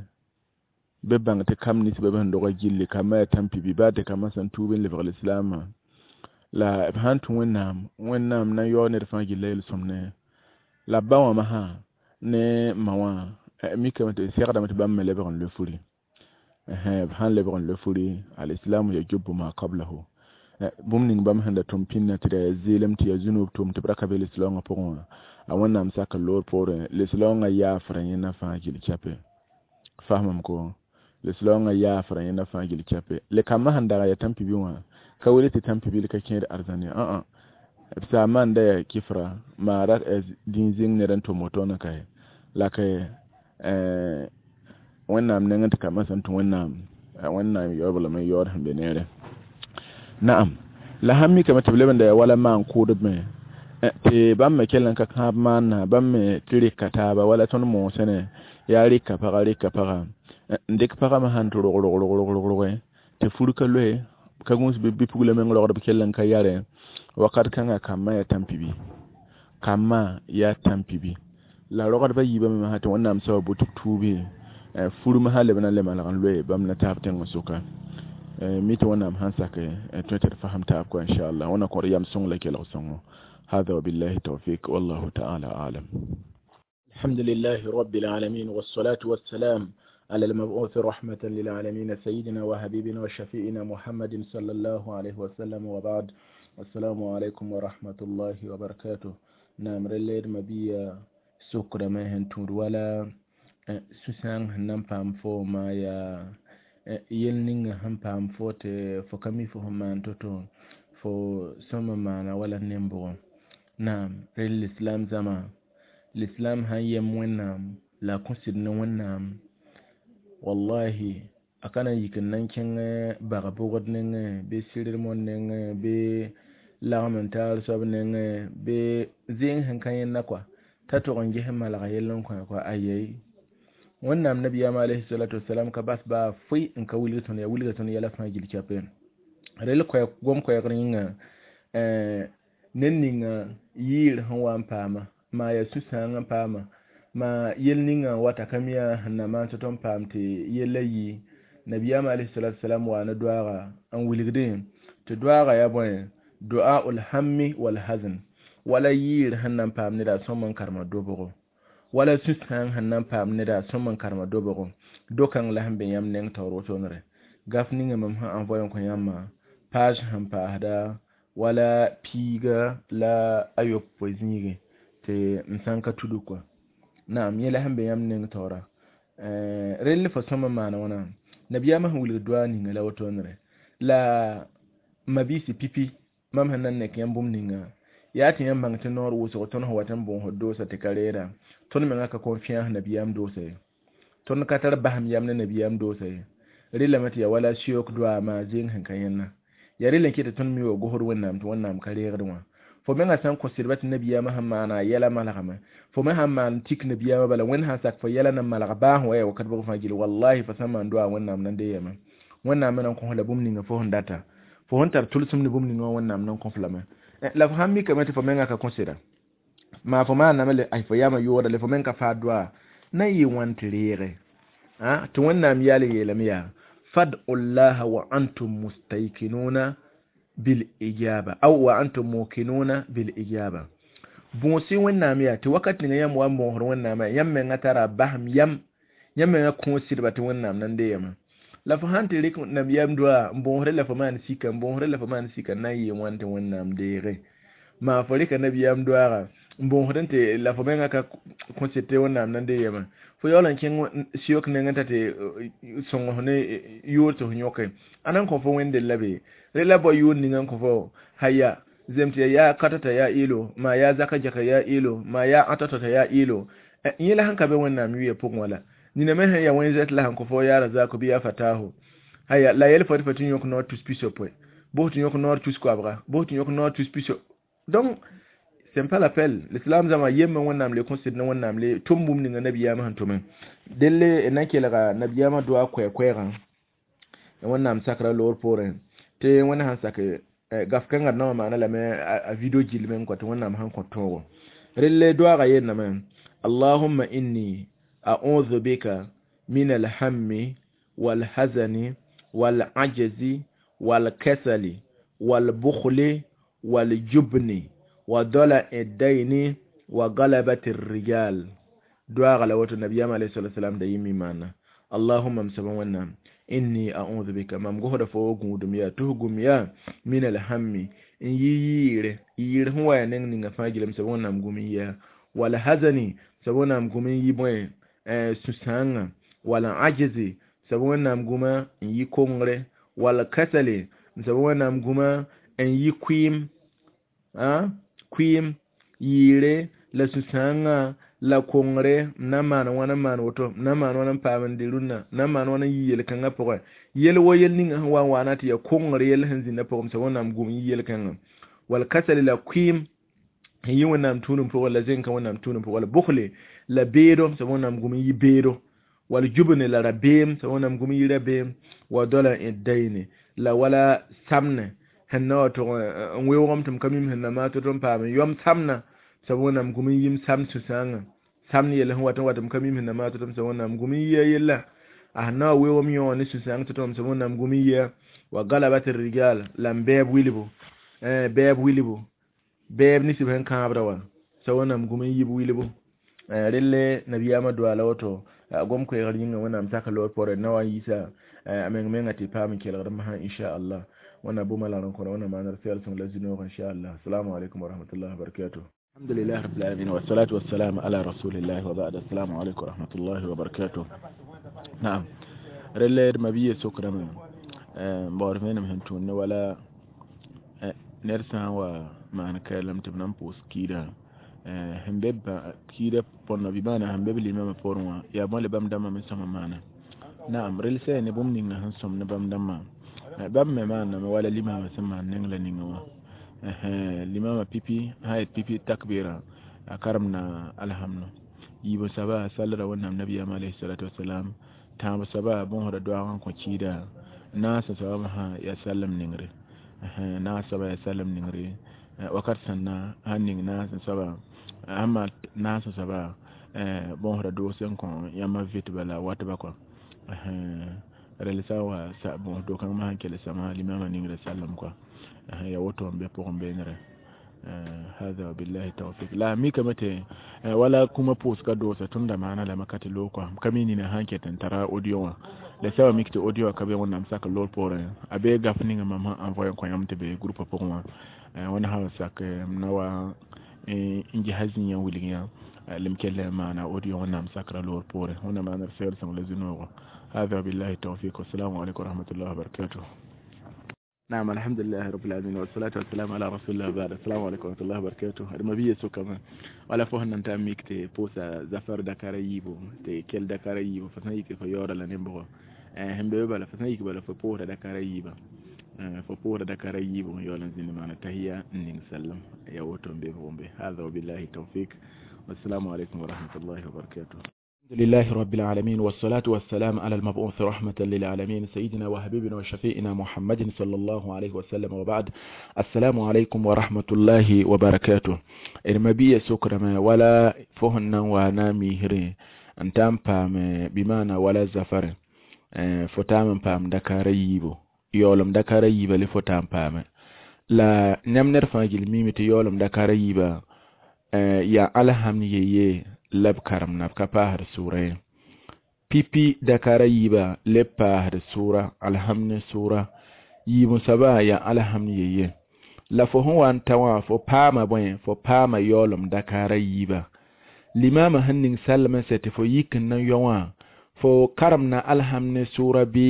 bɩ bãng tɩ kam nins b sẽn doga gilli kambã yaa tãn-pibi baa tɩ kambã sẽn tuub n lebg lislaamã la b sãn tũ Wẽnnaam Wẽnnaam na n yaoog ned fãa gilla yel-sõmne la ba wã masã ne ma wã mikame tɩ segdame tɩ bãmb me lebg n loe furi b sãn lebg n loe furi alislamu yajubu ma qablahu bũmb ning bãmb sẽn da tʋm pĩnnã tɩ da yaa zeelem tɩ yaa zũnub tʋm tɩ b ra ka be lislaoongã pʋgẽ wã a Wẽnnaam sak n loor poorẽ lislaoongã yaafra yẽnda fãa gill kɛpe fasmame ko lislaoongã yaafra yẽnda fãa gill kɛpe le kambã sẽn dag yaa tãn-pibi wã ka wele tɩ tãn-pibil ka kẽed arzãn ye ã b saam n da yaa kifra maara dĩin zĩng ned n tʋm wotone ka la ka Wẽnnaam nengẽ tɩ kambã sẽn tũ Wẽnnaam Wẽnnaam yaoog lame n yaood sẽn be neere naam la sãn mikame tɩ b leb n da yaa wala maan kʋʋdb me tɩ bãmb me kell n ka kãab maanna bãmb me tɩ rɩka taaba wala tõnd moosẽ ne yaa rɩka paga rɩka paga n dɩk pagã me sãn tɩ rog rog rog rog rog roge tɩ fur ka loe ka gũus bɩ bipugla meng rogd b kell n ka yare wakat kãngã kambã yaa tãn-pibi kambã yaa tãn-pibi la rogdbã yiibã me masã tɩ Wẽnnaam soaba bʋ tɩ b tuubi fur masã leb na n le malg n loe bãmb na taab tẽng sʋka mi tɩ Wẽnnaam sãn sak tõe tɩ d fasem taab kɔa inchallah Wẽnnaam kõt yam sõng la kelg sõngo هذا وبالله التوفيق والله تعالى أعلم. الحمد لله رب العالمين والصلاة والسلام على المبعوث رحمة للعالمين سيدنا وحبيبنا وشفيئنا محمد صلى الله عليه وسلم وبعد. السلام عليكم ورحمة الله وبركاته. نعم رليد مبيا سكر ما هنتور ولا سوسان هنم فام فو ما يا yel ning sẽn paam fo tɩ fo ka mi fo sẽn maan to-to fo sõma maana wala nembʋgẽ naam rel lislaam zãma lislaam sãn yem Wẽnnaam la a kõ sɩd ne Wẽnnaam wallahi a ka na n yik n na n kẽng bag bʋgd nengẽ bɩ sɩrd mon nengẽ bɩ lagem n taar soab nengẽ bɩ zẽeng sẽn ka yẽnda kɔa t'a tog n ges n malga yell n kõ kɔa ayɛi Wẽnnaam nabiyaam alayhi salatu wasalam ka bas baa foe n ka wilg tõnd ya wilga tõnd yɛla fãa gill kɛpɛ rel koɛɛg gom koɛɛgr yĩnga ned ninga yɩɩr sẽn wa n paama maa yaa sũ-sãang n paama maa yel ninga n wata ka mi yaa sẽn na maan tɩ n paam tɩ yella yɩ nabiyaam alayhi salatu wasalam waa ne doaaga n wilgdẽ tɩ doaaga yaa bõe du'aul hammi wal hazn wala yɩɩr sẽn na n paam neda a sõm n karema dobgo wala sũ-sãang sẽn na n paam neda a sõm n karema dobgo do-kãng la sẽn be yãmb neng taoor wotonere gaf ninga mam sẽn envoye n kõ yãmbã page sẽn paasda wala piiga la a yopoe zĩigẽ tɩ m sã n ka tudg kɔa naam yẽ la sẽn be yãmb neng taoora rell fo sõm n maana wãna nabiyaamã sẽn wilg doa ninga la wotonere la mabiisi pipi mam sẽn na n nek yãmb bũmb ninga yaa tɩ yãmb bãng tɩ noor wʋsgo tõnd sẽn wat n bõosd doosa tɩ ka reera tõnd menga ka confiance nabiyaam doosa ye tõnd ka tar basem yam ne nabiyaam doosa ye relame tɩ yaa wala sɩyook doaamã zẽeng sẽn ka yẽnna yaa rel n ket tɩ tõnd mi wa gosd Wẽnnaam tɩ Wẽnnaam ka reegd wã fo menga sã n kõ sɩdba tɩ nabiyaamã sẽn maana a yɛla malgame fo me sãn maan tik nabiyaamã bala Wẽnd sãn sak fo yɛla na malg baa sẽn wa yaa wakat bʋg fãa gill wallahi fo sãn maan doa Wẽnnaam na n dee yame Wẽnnaam me na n kõs la bũmb ninga fo sẽn data fo sẽn tar tʋlsem ne bũmb ninga wã Wẽnnaam na n kõ f lame la fo sãn mikame tɩ fo menga ka kõ sɩda maa fo maaname le ay fo yama yooda le fo meng ka faa doa na yɩ wãn tɩ reege Tɩ Wẽnnaam yaal yeelame yaa fad'u llaha wa antum mustaykinuna bil ijaba aw wa antum muqinuna bil ijaba. Bõos-y Wẽnnaam yaa tɩ wakat ninga yãmb wa n bõosd Wẽnnaamã, yãmb menga tara basem yam, yãmb menga kõos sɩdba tɩ Wẽnnaam na n deegame. La fo sãn tɩ rɩk nabiyaam doa n bõosdẽ la fo maan sika, n bõosdẽ la fo maan sika, n na n yɩɩ wãn tɩ Wẽnnaam deege? Maa fo rɩka nabiyaam doaaga n bõosdẽ tɩ la fo menga ka kõ sɩd tɩ Wẽnnaam na n deegame. Fo yaool n kẽng sɩok nengẽ t'a tɩ sõng ne yʋʋr tɩ fo yõke a na n kõ fo wẽnd la be rẽ la bao yʋʋr ninga n kõ fo haya zem tɩ yaa katata yaa ɩɩlo, maa yaa zaka jaka yaa ɩɩlo, maa yaa ãtɔtɔta yaa ɩɩlo. Yẽ la sẽn ka be Wẽnnaam yʋya pʋgẽ wala nina me sẽn yaa wẽn-zɛt la sẽn kõ fo yaa razako bɩ yaa fataho haya la yɛl fo tɩ fo tɩ yõk noor tus pisopoe, bos tɩ yõk noor tus koabga, bos tɩ yõk noor tus piso. Donc c'est pas la peine. L'islam zãma yembã Wẽnnaam le kõ sɩd ne Wẽnnaam le tʋm bũmb ninga nabiyaamã sẽn tʋme delle n na n kelga nabiyaamã doa koɛɛ-koɛɛgã Wẽnnaam sakra loor poorẽ tɩ Wẽnd sãn sak gaf kãngã d na wã maana lame a video gill meng kõ tɩ Wẽnnaam sãn kõ tõogo relle doaagã yeelame allahumma inni a'udhu bika min alhammi walhazani walajzi walkasali walbukhli waljubni wa dala'i dayni wa galabati rijal. Doaagã la woto nabiyaam alayhi salatu wasalam da yĩmmi maana allahumma m soaba Wẽnnaam inni a'udhu bika mam gosda fo gũudum yaa tɩ f gũm yaa min alhammi n yɩ yɩɩre yɩɩr sẽn wa yaa neng ninga fãa gilem soaba Wẽnnaam gũm n yɩa wal hazani soaba Wẽnnaam gũm n yɩ bõe sũ-sãangã wal ajzi soaba Wẽnnaam gũma n yɩ kongre wal kasali soaba Wẽnnaam gũma n yɩ kʋɩɩm kʋɩɩm yɩɩre la sũ-sãangã la kongre n na n maan wãn n maan woto, n na n maan wãn n paam n dɩ rũnnã, n na n maan wãn n yɩ yel-kãngã pʋgẽ yel wo yel ninga sẽn wa n waana tɩ yaa kongr yell sẽn zĩndã pʋgẽ soaba Wẽnnaam gũm n yɩ yel-kãngã wal kasali la kʋɩɩm n yɩ Wẽnnaam tũudum pʋgẽ la zẽnka Wẽnnaam tũudum pʋgẽ wala bʋkle la beedo soaba Wẽnnaam gũm n yɩ beedo wal jubne la rabeem soaba Wẽnnaam gũm n yɩ rabeem wa dala'i dayni la wala samne sẽn na wa tʋg n weoogame tɩ m ka mim sẽn na maa tɩ n paam n yom samna soaba Wẽnnaam gũm n yɩm sam sũ-sãangã samd yell sẽn wat n wat m ka mim sẽn na maa tɩ soaba Wẽnnaam gũm n yɩa yella a sẽn na wa weoogame yõ ne sũ-sãang tɩ tɩ soaba Wẽnnaam gũm n yɩa wa galabati rijal la n bɛɛb wilbu bɛɛb wilbu bɛɛb nisb sẽn kãabda wã soaba Wẽnnaam gũm n yɩb wilbu relle nabiyaamã doa la woto gom koɛɛgr yĩnga Wẽnnaam sak loor poorẽ na wa n yiisa a meng menga tɩ paam n kelgd masã inchallah. Wẽnnaam bʋma la r n kõda Wẽnnaam maanr sɛl sõng la zĩ-noog inchallah. Assalamu alaikum wa rahmatullahi wa barakatuh. Alhamdulillah rabbil alamin wa salatu wassalam ala rasulillahi wa ba'd. Assalamu alaikum wa rahmatullahi wa barakatuh. Na'am, relle d mabiya sokrame baood vẽenem sẽn tũud ne wala ned sã n wa maan kaelem tɩ b na n pʋʋs kiidã sẽn be kiidã põrna bɩ maana sẽn be b limamã poorẽ wã yaa bõe le bãmb dãmbã me sõma maana. Naam, rel sã ne bũmb ninga sẽn sõm ne bãmb dãmbã bãmb me maaname wala limamã sẽn maan neng la ninga wã limamã pipi sã yet pipi takbɩrã a karemda alhamdu yiib soaba sallra Wẽnnaam nabiyaam alayhi salatu wasalam tãab soaba bõosda doaag n kõ kiida naasã soaba masã yaa sallem nengre naas soaba yaa sallem nengre wakat sãnna sãn ning naasã soaba sãn maan naasã soaba bõosda doos n kõ yãmb vɩtba la watba kɔa rel sã n wa bõos do-kãng masã n kell sãma limamã ningra sallem kɔa ya woto n be pʋgẽ beenrẽ. Hada wabillahi tawfik la mikame tɩ wala kũmã pʋʋsga doosa tõndã maana lame ka tɩ loog kɔa m ka mi nina sãn ket n tara audio wã la sa wa mik tɩ audio wã ka be Wẽnnaam sak loor poorẽ a bee gaf ninga mam sẽn envoyé n kõ yãmb tɩ be groupe pʋgẽ wã Wẽnd sã n sak m na wa n ges zĩig yã wilg yã lem kell n maana audio Wẽnnaam sakra loor poorẽ Wẽnnaam maanr sɛɛl sõng la zĩ-noogo. Hada wabillahi tawfik wassalamu alaikum warahmatullahi wabarakatuh. نعم، الحمد لله رب العالمين والصلاة والسلام على رسول الله بعد. السلام عليكم ورحمة الله وبركاته. المبيه سوكما ولا فهنا نتا ميكتي بوسا زفر دكار يبو تي كل دكار يبو فسنيك فيورا لنبغو هم بيبا فسنيك بلا فبورا دكار يبا فبورا دكار يبو يولا زين معنا تهيا نين سلم يا وتم بيبو. هذا وبالله التوفيق والسلام عليكم ورحمة الله وبركاته. الحمد لله رب العالمين والصلاة والسلام على المبعوث رحمة للعالمين سيدنا وحبيبنا وشفيئنا محمد صلى الله عليه وسلم وبعد. السلام عليكم ورحمة الله وبركاته. المبي سكرما ولا فهنا ونامي هري N ta n paam bɩ maana wala zafare fo taam n paam dakaara yiibo yaoolem dakaara yiiba le fo ta n paame la yãmb ned fãa gill miime tɩ yaoolem dakaara yiiba yaa alhamd yeye la b karemna b ka paasd sʋʋra ye pipi dakaara yiiba le paasd sʋʋra alhamd ne sʋʋra yiib soaba yaa alhamd yeye la fo sẽn wa n ta wã fo paama bõe fo paama yaoolem dakaara yiiba limama sẽn ning sallame sɛ tɩ fo yik n na yɔ wã fo karemna alhamd ne sʋʋra bɩ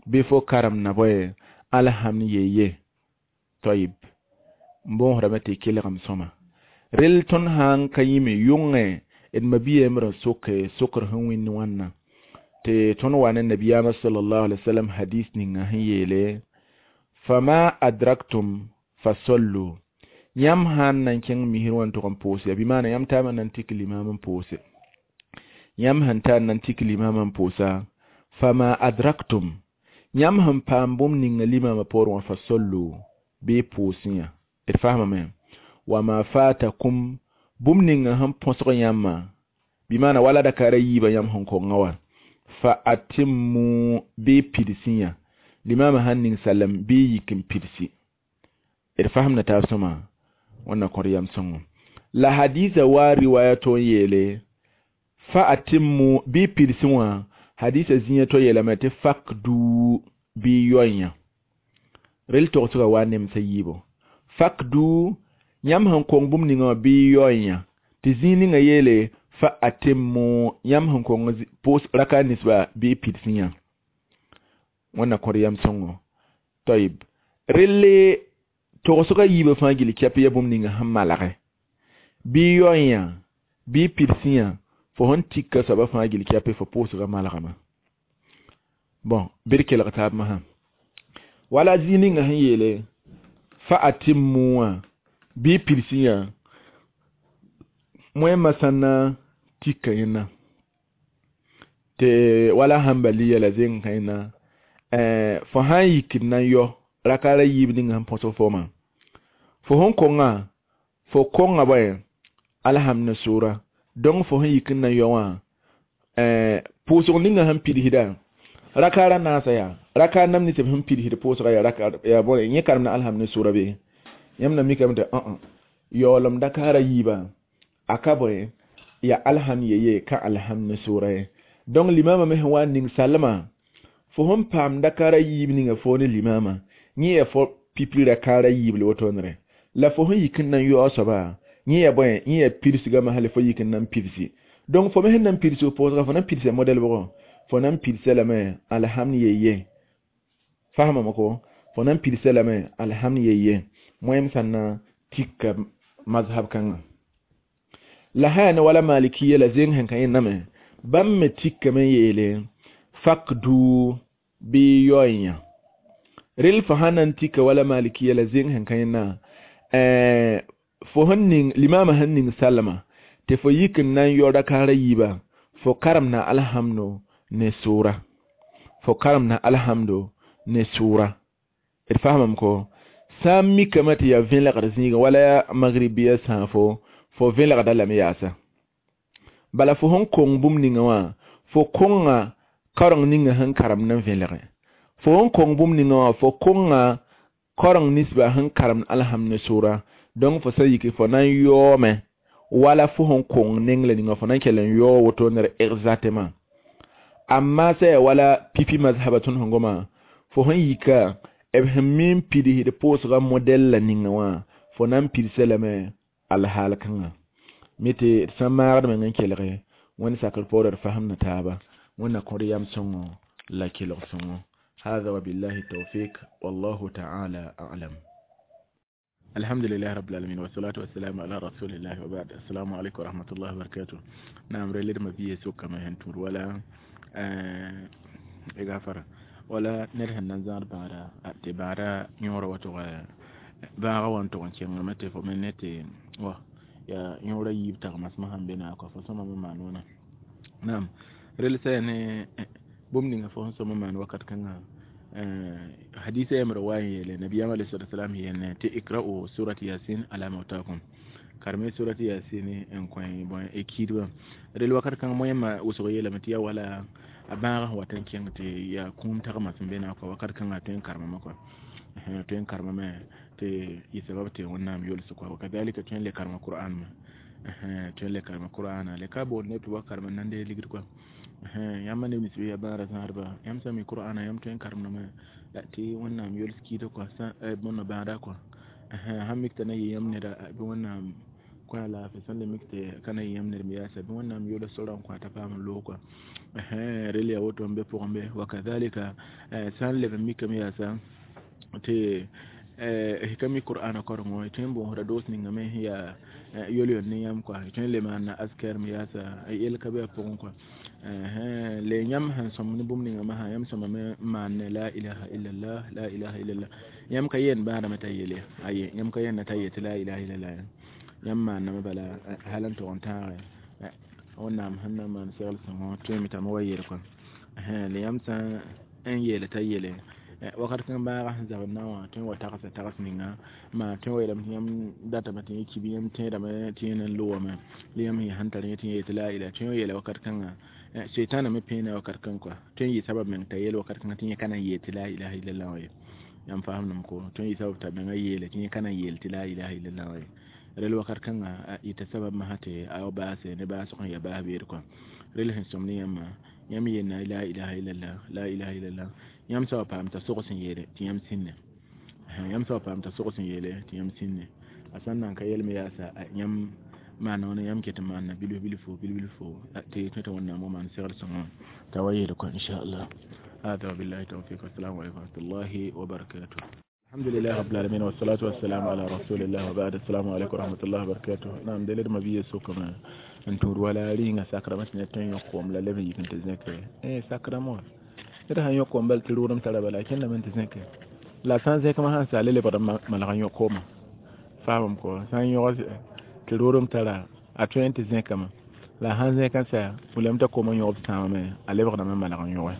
bɩ fo karemna bõe alhamd yeye toyib n boosdame tɩ kelgem sõma rel tõnd sã n ka yĩme yʋngẽ d mabia yembr n soke sokr sẽn wĩnd wãnna tɩ tõnd wa ne nabiyaamã sallallahu alaihi wasallam hadis ninga sẽn yeele fama adraktum fasollu yãmb sãn na n kẽng misr wã n tʋg n pʋʋs ya bɩ maana yãmb taama na n tik limaam n pʋʋse yãmb sẽn tar na n tik limaam n pʋʋsa fama adraktum yãmb sẽn paam bũmb ninga limaamã poorẽ wã fasollu bɩ pʋʋsẽ d faamame wama fatakum bũmb ninga sẽn põsg yãmbã bɩ maana wala dakaara yiibã yãmb sẽn konga wa fa atimmu bɩ pidsẽ yã limaamã sãn ning salem bɩ yik n pidsi d fasemda taab sõma wẽnna kõt yam sõngo la hadisa wa riwaya to n yeele fa atimmu bɩ pidsẽ wã hadisa zĩiga to yeelame tɩ fakdu bɩ yoa-yã rel togsga wa nemsa yiibo fakdu yãmb sẽn kong bũmb ninga wã bɩ yaoe-yã tɩ zĩig ninga yeele fa atemmu yãmb sẽn kong pʋʋs raka ninsba bɩ pidsẽ yã wẽnna kõt yam sõngo toyib relle togsga yiibã fãa gill kɛp ya bũmb ninga sẽn malge bɩ yaoe-yã bɩ pidsẽ yã fo sẽn tika soaba fãa gill kɛpe fo pʋʋsga malgame bon bɩ d kelg taab masã wala zĩig ninga sẽn yeele fa atimmu wã bɩ pidsẽ yã moẽmã sã na tika yẽnna tɩ wala hãmbaliya la zeng kãena fo sã n yikd na n yao rakaara yiib ninga sẽn põsg foomã fo sẽn konga fo konga bõe alhamd ne sʋʋra donc fo sẽn yik n na n yao wã pʋʋsg ninga sẽn pidsda rakaara naasa yaa rakaar nam nins b sẽn pidsd pʋʋsga yaa raka yaa bõe yẽ karemda alhamd ne sʋʋra be yãmb na mikame tɩ õ yaoolem dakaara yiibã a ka bõe yaa alhamd yeye ka alhamd ne sʋʋra ye donc limama me sẽn wa n ning salma fo sẽn paam dakaara yiib ninga fo ne limama yẽ yaa fo pipi rakaara yiib la wotonere la fo sẽn yik n na n yaoog soaba yẽ yaa bõe yẽ yaa pidsgame hal fo yik n na n pidsi donc fo me sẽn na n pidsg pʋʋsga fo na n pidsa modɛl bʋgɔ fo na n pidsa lame alhamd yeye faamame ko fo na n pidsa lame alhamd yeye moẽm sã na tika mazhab kãngã la sã yaa ne wala malikiya la zeng sẽn ka yẽndame bãmb me tikame n yeele fakdu bɩ yaoe-yã rel fo sã na n tika wala malikiya la zeng sẽn ka yẽnda fo sẽn ning limaamã sẽn ning salma tɩ fo yik n na n yao rakaara yiiba fo karemna alhamdo ne sʋʋra fo karemna alhamdo ne sʋʋra d faamame ko sã n mikame tɩ yaa vẽlgd zĩigã wala yaa magribiya sãafo fo vẽlgda lame yaasa bala fo sẽn kong bũmb ninga wã fo konga kaoreng ninga sẽn karemd n vẽlge fo sẽn kong bũmb ninga wã fo konga kaoreng ninsba sẽn karemd alhamd ne sʋʋra donc fo sã yiki fo na n yaoome wala fo sẽn kong neng la ninga fo na n kell n yaoo woto ned exactement amma sã yaa wala pipi mazhaba tõnd sẽn goma fo sẽn yika b sẽn mi n pidsd pʋʋsga modɛl la ninga wã fo na n pidsa lame alhaal kãngã mi tɩ d sã n maagd meng n kelge wẽnd sakr poorã d fasemda taaba wẽnna kõd yam sõngo la kelg sõngo هذا وبالله التوفيق والله تعالى أعلم الحمد لله رب العالمين والصلاة والسلام على رسول الله وبعد السلام عليكم ورحمة الله وبركاته نعم ريلد ما بيه سوكا ما هنتور ولا غافر wala ned sẽn na n zãad bãada tɩ bãada yõora wa tʋg bãaga wa n tʋg n kẽngame tɩ fo me ne tɩ wa yaa yõora yiib tagmasmã sẽn be naag fo sõma me maan wãna naam rel sã yaa ne bũmb ninga fo sẽn sõm n maan wakat kãngã hadisa yembr wa n yeele nabiyam alayhi salatu wasalam yelne tɩ ikra'u surat yasin ala mautakum Karme surati yasin n kõ bõe y kiidbã rel wakat kãng moẽmã wʋsg yeelame tɩ yaa wala a bãagã sẽn wat n kẽng tɩ yaa kũum tagmã sẽn be naag kɔa wakat kãngã tõe n karemame kɔa tõe n karemame tɩ yɩ sabab tɩ Wẽnnaam yols kɔa wakadalika tõe n le karema Qur'an me tõe n le karema Qur'ana le ka boond neb tɩ wa karem n nan deeg ligd kɔa yãmb neb nins bɩ yaa bãadã zãadba yãmb sã n mi Qur'ana yãmb tõe n karemdame tɩ Wẽnnaam yols kiidg kɔa bõn bãada kɔa sãn mik t'a na yɩ yãmb neda bɩ Wẽnnaam kõ a laafɩ sãn le mik tɩ ka na yɩ yãmb ned me yaasa bɩ Wẽnnaam yols sora n kõ t'a paam n loog kɔa rel yaa woto n be pʋgẽ be wakadhalika sã n leb n mikame yaasa tɩ ka mi Qur'ana korengo tõe n boosda doos ninga me sẽn yaa yol-yol ne yãmb kɔa tõe n le maana askar me yaasa yell ka be a pʋgẽ kɔa le yãmb sẽn sõm ne bũmb ninga masã yãmb sõmame n maan ne la ilaha illallah la ilaha illallah yãmb ka yeen bãadame t'a yeele aye yãmb ka yẽnda t'a yet tɩ la ilaha illallah yãmb maaname bala hal n tog n tãage Wẽnnaam sẽn na n maan segl sõngo tõeme t'a me wa yeel kɔa le yãmb sã n yeele t'a yeele wakat kãng bãagã sẽn zabd na wã tõe n wa tagsa tags ninga maa tõe n wa yeelame tɩ yãmb datame tɩ yẽ ki bɩ yãmb tẽedame tɩ yẽ na n logame la yãmb sẽn yaa sẽn tar yẽ tɩ yẽ yetɩ la ilaha tõe n wa yeela wakat kãnga seetãna me pẽena wakat kãng kɔa tõe n yɩ sabab meng t'a yeel wakat kãngã tɩ yẽ ka na n yeel tɩ la ilaha illallah wã ye yãmb faamdame ko tõe n yɩ sabab t'a menga yeele tɩ yẽ ka na n yeel tɩ la ilaha illallah wã ye rel wakat kãnga yɩta sabab masã tɩ a wa baase ne baasg sẽn yaa baas beed kɔa rel sẽn sõm ne yãmbã yãmb yeelna la ilaha illallah la ilaha illallah yãmb sã wa paam t'a sog sẽn yeele tɩ yãmb sĩnne yãmb sã wa paam t'a sog sẽn yeele tɩ yãmb sĩnne a sã n nan ka yelme yaasa yãmb maana wãna yãmb ket n maana bilf bilfo bilf bilfo tɩ tõe tɩ Wẽnnaam wa maan segl sõngã t'a wa yeel kɔa inchallah هذا وبالله التوفيق والسلام عليكم ورحمة الله وبركاته الحمد لله رب العالمين والصلاة والسلام على رسول الله وبعد السلام عليكم ورحمة الله وبركاته نعم دليل ما بيه سوكما n tũud wala rɩɩngã sakrame tɩ ned tõe n yõk koom la leb n yik n tɩ zẽke eh sakrame wã ned sãn yõk koom bal tɩ rʋʋdem tara bala a kẽndame n tɩ zẽke la sã n zẽk sãn sa a le lebgd n malg n yõk koomã faamam kɔ sã n yõg tɩ rʋʋdem tara a tõe n tɩ zẽkame la sãn zẽk n sa wilame t'a koomã yõgb sãamame a lebgdame n malg n yõge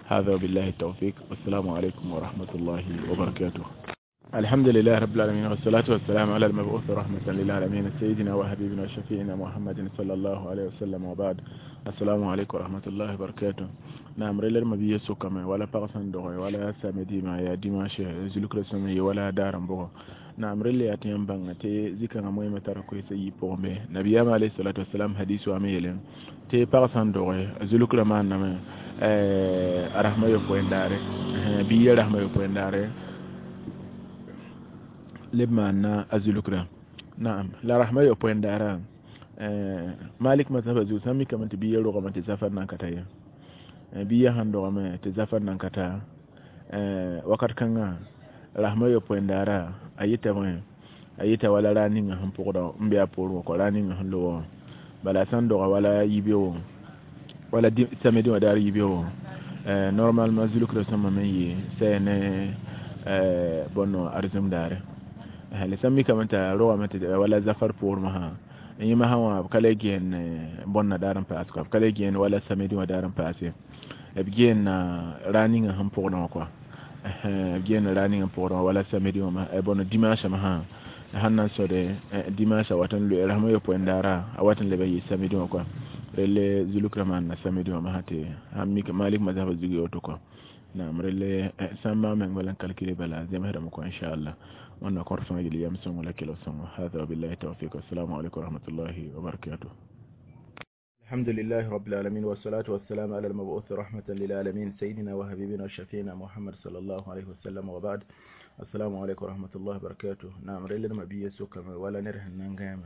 هذا وبالله التوفيق والسلام عليكم ورحمة الله وبركاته الحمد لله رب العالمين والصلاة والسلام على المبعوث رحمة للعالمين سيدنا وحبيبنا وشفيعنا محمد صلى الله عليه وسلم وبعد السلام عليكم ورحمة الله وبركاته نعم ريلر ما بيي سوكame wala pag sẽn doge wala samedi ma yaa dimanche zulukra sõm ye wala daar n bʋgɔ naam relle yaa tɩ yãmb bãnga tɩ zĩ-kãngã moẽmã tara koeesã yi pʋgẽ be nabiyaamã alayhi salatu wasalam hadis wame yeele tɩ pag sãn doge zulukra maanname a rasmã yopoe n daare biiya rasmã yopoe n daare leb maanna a zulukra naam la rasmã yopoe n daara malik mazhaba zugu sã n mikame tɩ biiya rogame tɩ zafar nan ka ta ye biiya sãn dogame tɩ zafar nan ka ta wakat kãngã rasmã yopoe n daara a yɩta bõe a yɩta wala raa ninga sẽn pʋgda n be a poorẽ wã kɔ raa ninga sẽn loga wã bala a sã n doga wala yibeoogo wala samedi wã daar yibeoogo normalement zulukra sõma me n yɩ saya ne bõn arzem daare la sã n mikame t'a rogame tɩ wala zafar poor masã yẽ masã wã b ka le gẽen bõnna daar n paas kɔa b ka le gẽen wala samedi wã daar n paas ye b gẽenna raa ninga sẽn pʋgdã wã kɔa b gẽenna raa ninga n pʋgdã wã wala samedi wã bõn dimanche masã sãn na n sõde dimanche a wat n loe rasmã yopoe n daara a wat n leb n yɩ samedi wã kɔa relle zulukrã maanna samedi wã masã tɩ sãn mik malik mazhaba zug woto kɔa naam relle sã n maag meng bala n kalkile bala zemsdame kɔa inchallah wẽnna kõt fãa yel yam sõngo la kelg sõngo hada wabillahi tawfik wassalamu alaikum warahmatullahi wabarakatuh الحمد لله رب العالمين والصلاة والسلام على المبعوث رحمة للعالمين سيدنا وحبيبنا وشفينا محمد صلى الله عليه وسلم وبعد السلام عليكم ورحمة الله وبركاته نعم ريل ما بيه سوكا ولا نرهن نانغام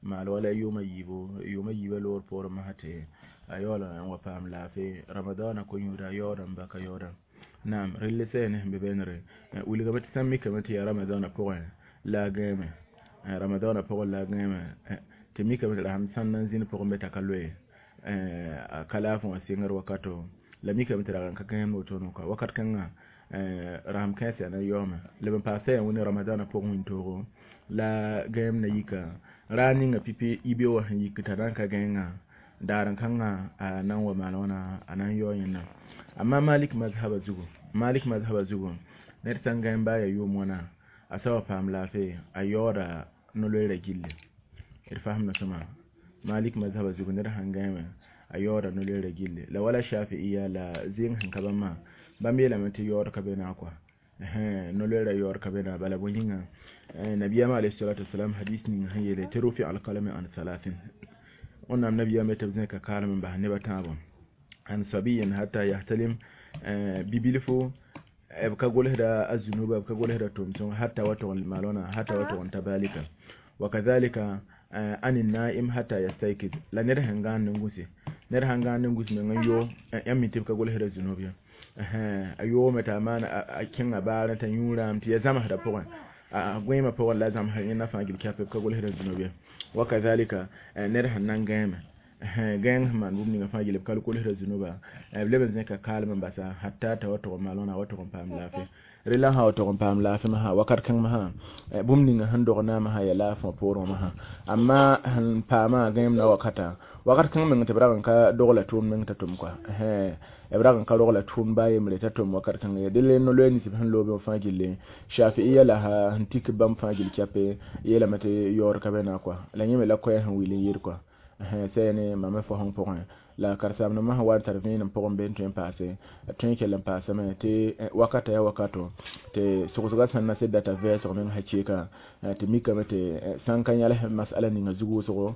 مع ولا يوم يبو يوم يبو لور بور ما هتي أيولا وفهم لا في رمضان كون يودا يورا بكا يورا نعم ريل سين ببنري ولي قبت سمي كما تي رمضان بوين لا جيم رمضان بوين لا جيم tɩ mikame tɩ la sãn na n zĩnd pʋgẽ be t'a ka loe a ka laafẽ wã sɩngr wakato la mikame tɩ rag n ka gãem wotone kɔa wakat kãngã rasem kãensã na yaoome leb n paasa yaa wẽne ramadãnã pʋgẽ wĩntoog la gãeem na yika raa ninga pipi yibeoogã wã sẽn yik t'a na n ka gãengã daar n kãngã a na n wa maan wãna a na n yao yẽnda amma malik mazhaba zugu malik mazhaba zugu ned sã n gãem baa yaa yʋʋm wãna a sa wa paam laafɩ a yaooda no-loeera gilli D fahamda sõma malik mazhaba zugu ned sãn gãeme a yaooda no-loeera gilli la wala shafi'iya la zɩng sẽn ka bãmba bãmb yeelame tɩ yaood ka be na kɔa no-loeera yaood ka be na bala bõe yĩnga nabiyama alayhi salatu wasalam hadis ning sẽn yeele tɩ rufi alkalami an salatin wẽnnaam nabiyame tɩ b zẽka kaalem n bas neb a tãabo an sabiyin hatta yahtalim bibilfo b ka golsda a zunuba b ka golsda tʋʋm-sõng hatta wa tʋg n malona hatta wa tʋg n ta balika wa kadhalika an naim hatta yastaykiz la ned sẽn gãand n gũse ned sãn gãand n gũs meng n yo yãmb mi tɩ b ka golsda zunub ye a yoome t'a maan a kẽnga baarẽ t'a yũ rãam tɩ ya zãmsdã pʋgẽ a gõeemã pʋgẽ la zãmsd yẽnda fãa gil kɛp b ka golsda zunub ye wa kadhalika ned sẽn na n gãeme gãeng sẽn maan bũmb ninga fãa gil b ka kolsda zunuba b leb n zẽka kaalem n basa hatta t'a wa tʋg n malõna wa tʋg n paam laafɩ rela sã wa tʋg n paam laafɩ masã wakat kãng masã bũmb ninga sẽn dog naamã sã ya laafẽ wã poorẽ masã amma sẽn paamã gãeem na wakata wakat kãng meng tɩ b rag n ka dogla tʋʋmd meng t'a tʋm kɔa b rag n ka rogla tʋʋmd baa yembre t'a tʋm wakat kãng ye dẽle no-loɛɛ nins b sẽn loobẽ fãa gilli shafi'iya la sẽn tik bãmb fãa gil kɛpe yeelame tɩ yaood ka be na kɔa la yẽ me la koɛɛ sẽn wil n yɩɩd kɔa sɛne mame fo sẽn pʋgẽ la karen-saambdãmbã sẽn wa n tar vẽenem pʋgẽ be n tõe n paase tõe n kell n paasame tɩ wakata yaa wakato tɩ sogsgã sẽn na sed data vɛɛsg meng hakɩɩka tɩ mikame tɩ sãn ka yãls masala ninga zug wʋsgo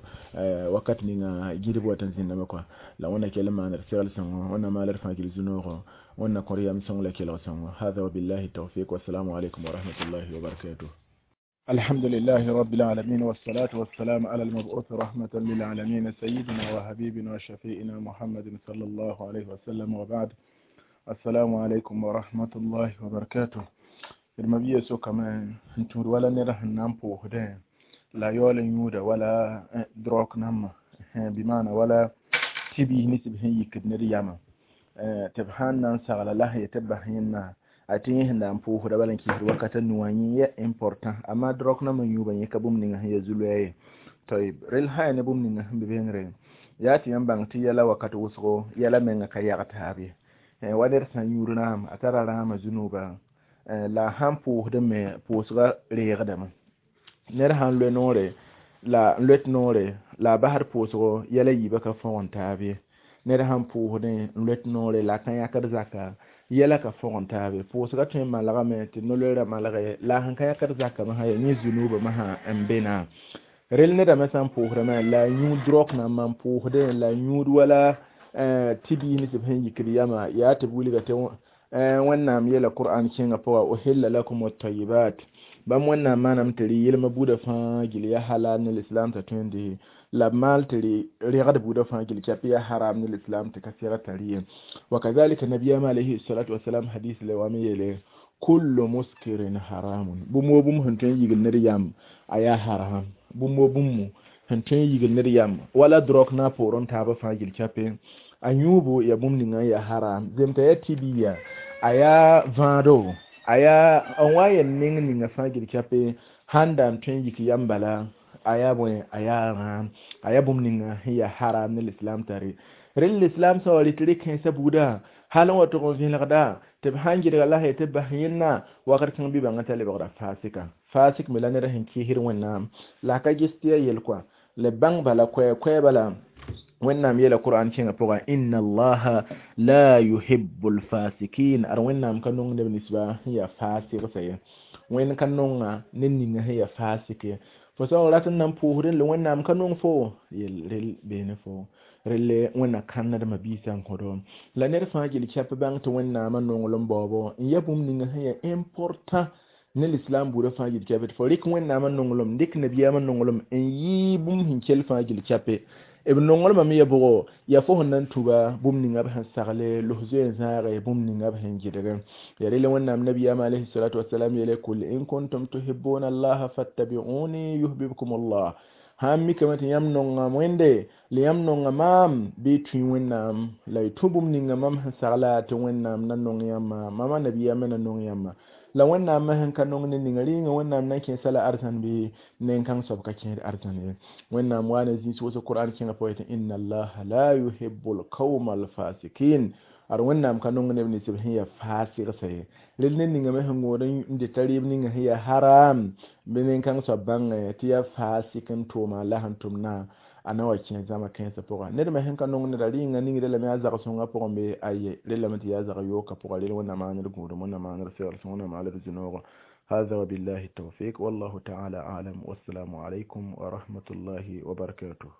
wakat ninga gɩdb wat n zĩndame kɔa la wẽnna kell n maan d segl sõngo wẽnna maal d fãa gil zu-noogo wẽnna kõr yam sõng la kelg sõngo hada wabillahi tawfiq wassalamu alaikum wa rahmatullahi wa barakatuh. الحمد لله رب العالمين والصلاة والسلام على المبعوث رحمة للعالمين سيدنا وحبيبنا وشفيئنا محمد صلى الله عليه وسلم وبعد السلام عليكم ورحمة الله وبركاته المبيه سو كمان انتم ولا نره نامبو هدين لا يول يودا ولا دروك نما بمعنى ولا تبي نسب هي يكد نرياما تبهان نانسا على الله يتبهينا a tɩ yẽ sẽn na n pʋʋsda bala n kɩsd wakata nuwã yẽ ya important amma drog nambã yũubã yẽ ka bũmb ninga sẽn ya zu-loɛɛ ye toyb rel sã ya ne bũmb ninga sẽn be bengre yaa tɩ yãmb bãng tɩ yɛla wakat wʋsgo yɛla menga ka yag taab ye wa ned sã n yũud rãam a tara rãamã zu-nooba la a sãn pʋʋsdẽ me pʋʋsgã reegdame ned sãn loe noore la n loet noore la a basd pʋʋsgo yɛla yiibã ka fõgen taab ye ned sãn pʋʋsdẽ n loet noore la a ka yãkd zaka yɛla ka fõgen taabe pʋʋsgã tõe n malgame tɩ no-loeerã malge la a sẽn ka yãkd zakã masã yaa yẽ zunuubã masã n be na rel nedã me sã n pʋʋsdame la a yũud drog nambã n pʋʋsdẽ la a yũud wala tɩ biis nins b sẽn yikd yama yaa tɩ b wilga tɩ wẽnnaam yeela qur'an kẽngã pʋga uhilla lakum at-tayyibat bãmb wẽnnaam maanam tɩ rɩ yelmã buudã fãa gil yaa halal ne lislam t'a tõe n dɩ la b maal tɩ rɩ regd buudã fãa gil kɛp yaa haram ne lislam tɩ ka sɛgd t'a rɩ ye wa kadhalika nabiyama alayhi salatu wasalam hadis le wa me yeele kullu muskirin haramun bũmb wo bũmb sẽn tõe n yigl ned yam a yaa haram bũmb wo bũmb sẽn tõe n yigl ned yam wala drog na poorẽ taabã fãa gil kɛpe a yũubo yaa bũmb ninga n yaa haram zemta yaa tibiya a yaa vãado a yaa n wa n yel neng ninga fãa gil kɛpe sãn da n tõe n yik yam bala a yaa bõe a yaa rãam a yaa bũmb ninga sẽn yaa haram ne lislam tare rel lislam sã wa rɩt rɩk-kãensã buuda hal n wa tʋg n vẽlgda tɩ b sãn gɩdga la tɩ b bas yẽnna wakat kãng bɩ bãngã t'a lebgra fasika fasik me la ned sẽn kɩɩsd wẽnnaam la a ka ges tɩ yaa yel kɔa la b bãng bala koɛɛ-koɛɛ bala wẽnnaam yeela qur'an kẽngã pʋga inna allaha la yuhibbu lfasikin ad wẽnnaam ka nong neb ninsba sẽn yaa fasigsã ye wẽnd ka nonga ned ninga sẽn yaa fasik ye fo sã n rat n na n pʋʋsdẽ la wẽnnaam ka nong fo yel rel beene fo relle wẽnna kãnnedmã biisã n kõdo la ned fãa gil kɛp bãng tɩ wẽnnaamã nonglem baoobo n ya bũmb ninga sẽn yaa important ne lislam buudã fãa gil kɛpe tɩ fo rɩk wẽnnaamã nonglem dɩk nabiyaamã nonglem n yɩ bũmb sẽn kell fãa gil kɛpe b nonglmã me ya bʋgo yaa fo sẽn na n tuba bũmb ninga b sẽn sagle los zoe n zãage bũmb ninga b sẽn gɩdg ya rel wẽnnaam nabiyaamã alayhi salatu wasalam yeele kul in kuntum tuhibbuna allaha fattabi'uni yuhbibkum allah sãn mikame tɩ yãmb nonga wẽnde la yãmb nonga maam bɩ y tũ wẽnnaam la y tũ bũmb ninga mam sẽn sagla tɩ wẽnnaam na nong yãmba mama nabiyaamã na nong yãmba la wẽnnaam sẽn ka nong ne ninga rɩɩngã wẽnnaam na n kẽesa la arzãn bɩ nen-kãng soab ka kẽed arzãn ye wẽnnaam wa ne zĩis wʋsg qur'an kẽngã pʋgẽ tɩ inna allaha la yuhibbu lqawma alfasikin Ad Wẽnnaam ka nong neb nins b sẽn yaa faasɩgsa ye. Rel ned ninga me sẽn gũud n dɩta rɩɩb ninga sẽn yaa haram, bɩ nin-kãng soab bãnge tɩ yaa faasɩk n tʋʋma la sẽn tʋmdã a na wa kẽ zãma kãensã pʋga. Ned me sẽn ka nong neda rɩɩngã ningdã lame yaa zag-sõngã pʋgẽ bɩ aye, rel lame tɩ yaa zag-yookã pʋga. Rel Wẽnnaam maaned gũudum, Wẽnnaam maaned segl sõng, Wẽnnaam maaned zu-noogo. هذا وبالله التوفيق، والله تعالى أعلم، والسلام عليكم ورحمة الله وبركاته.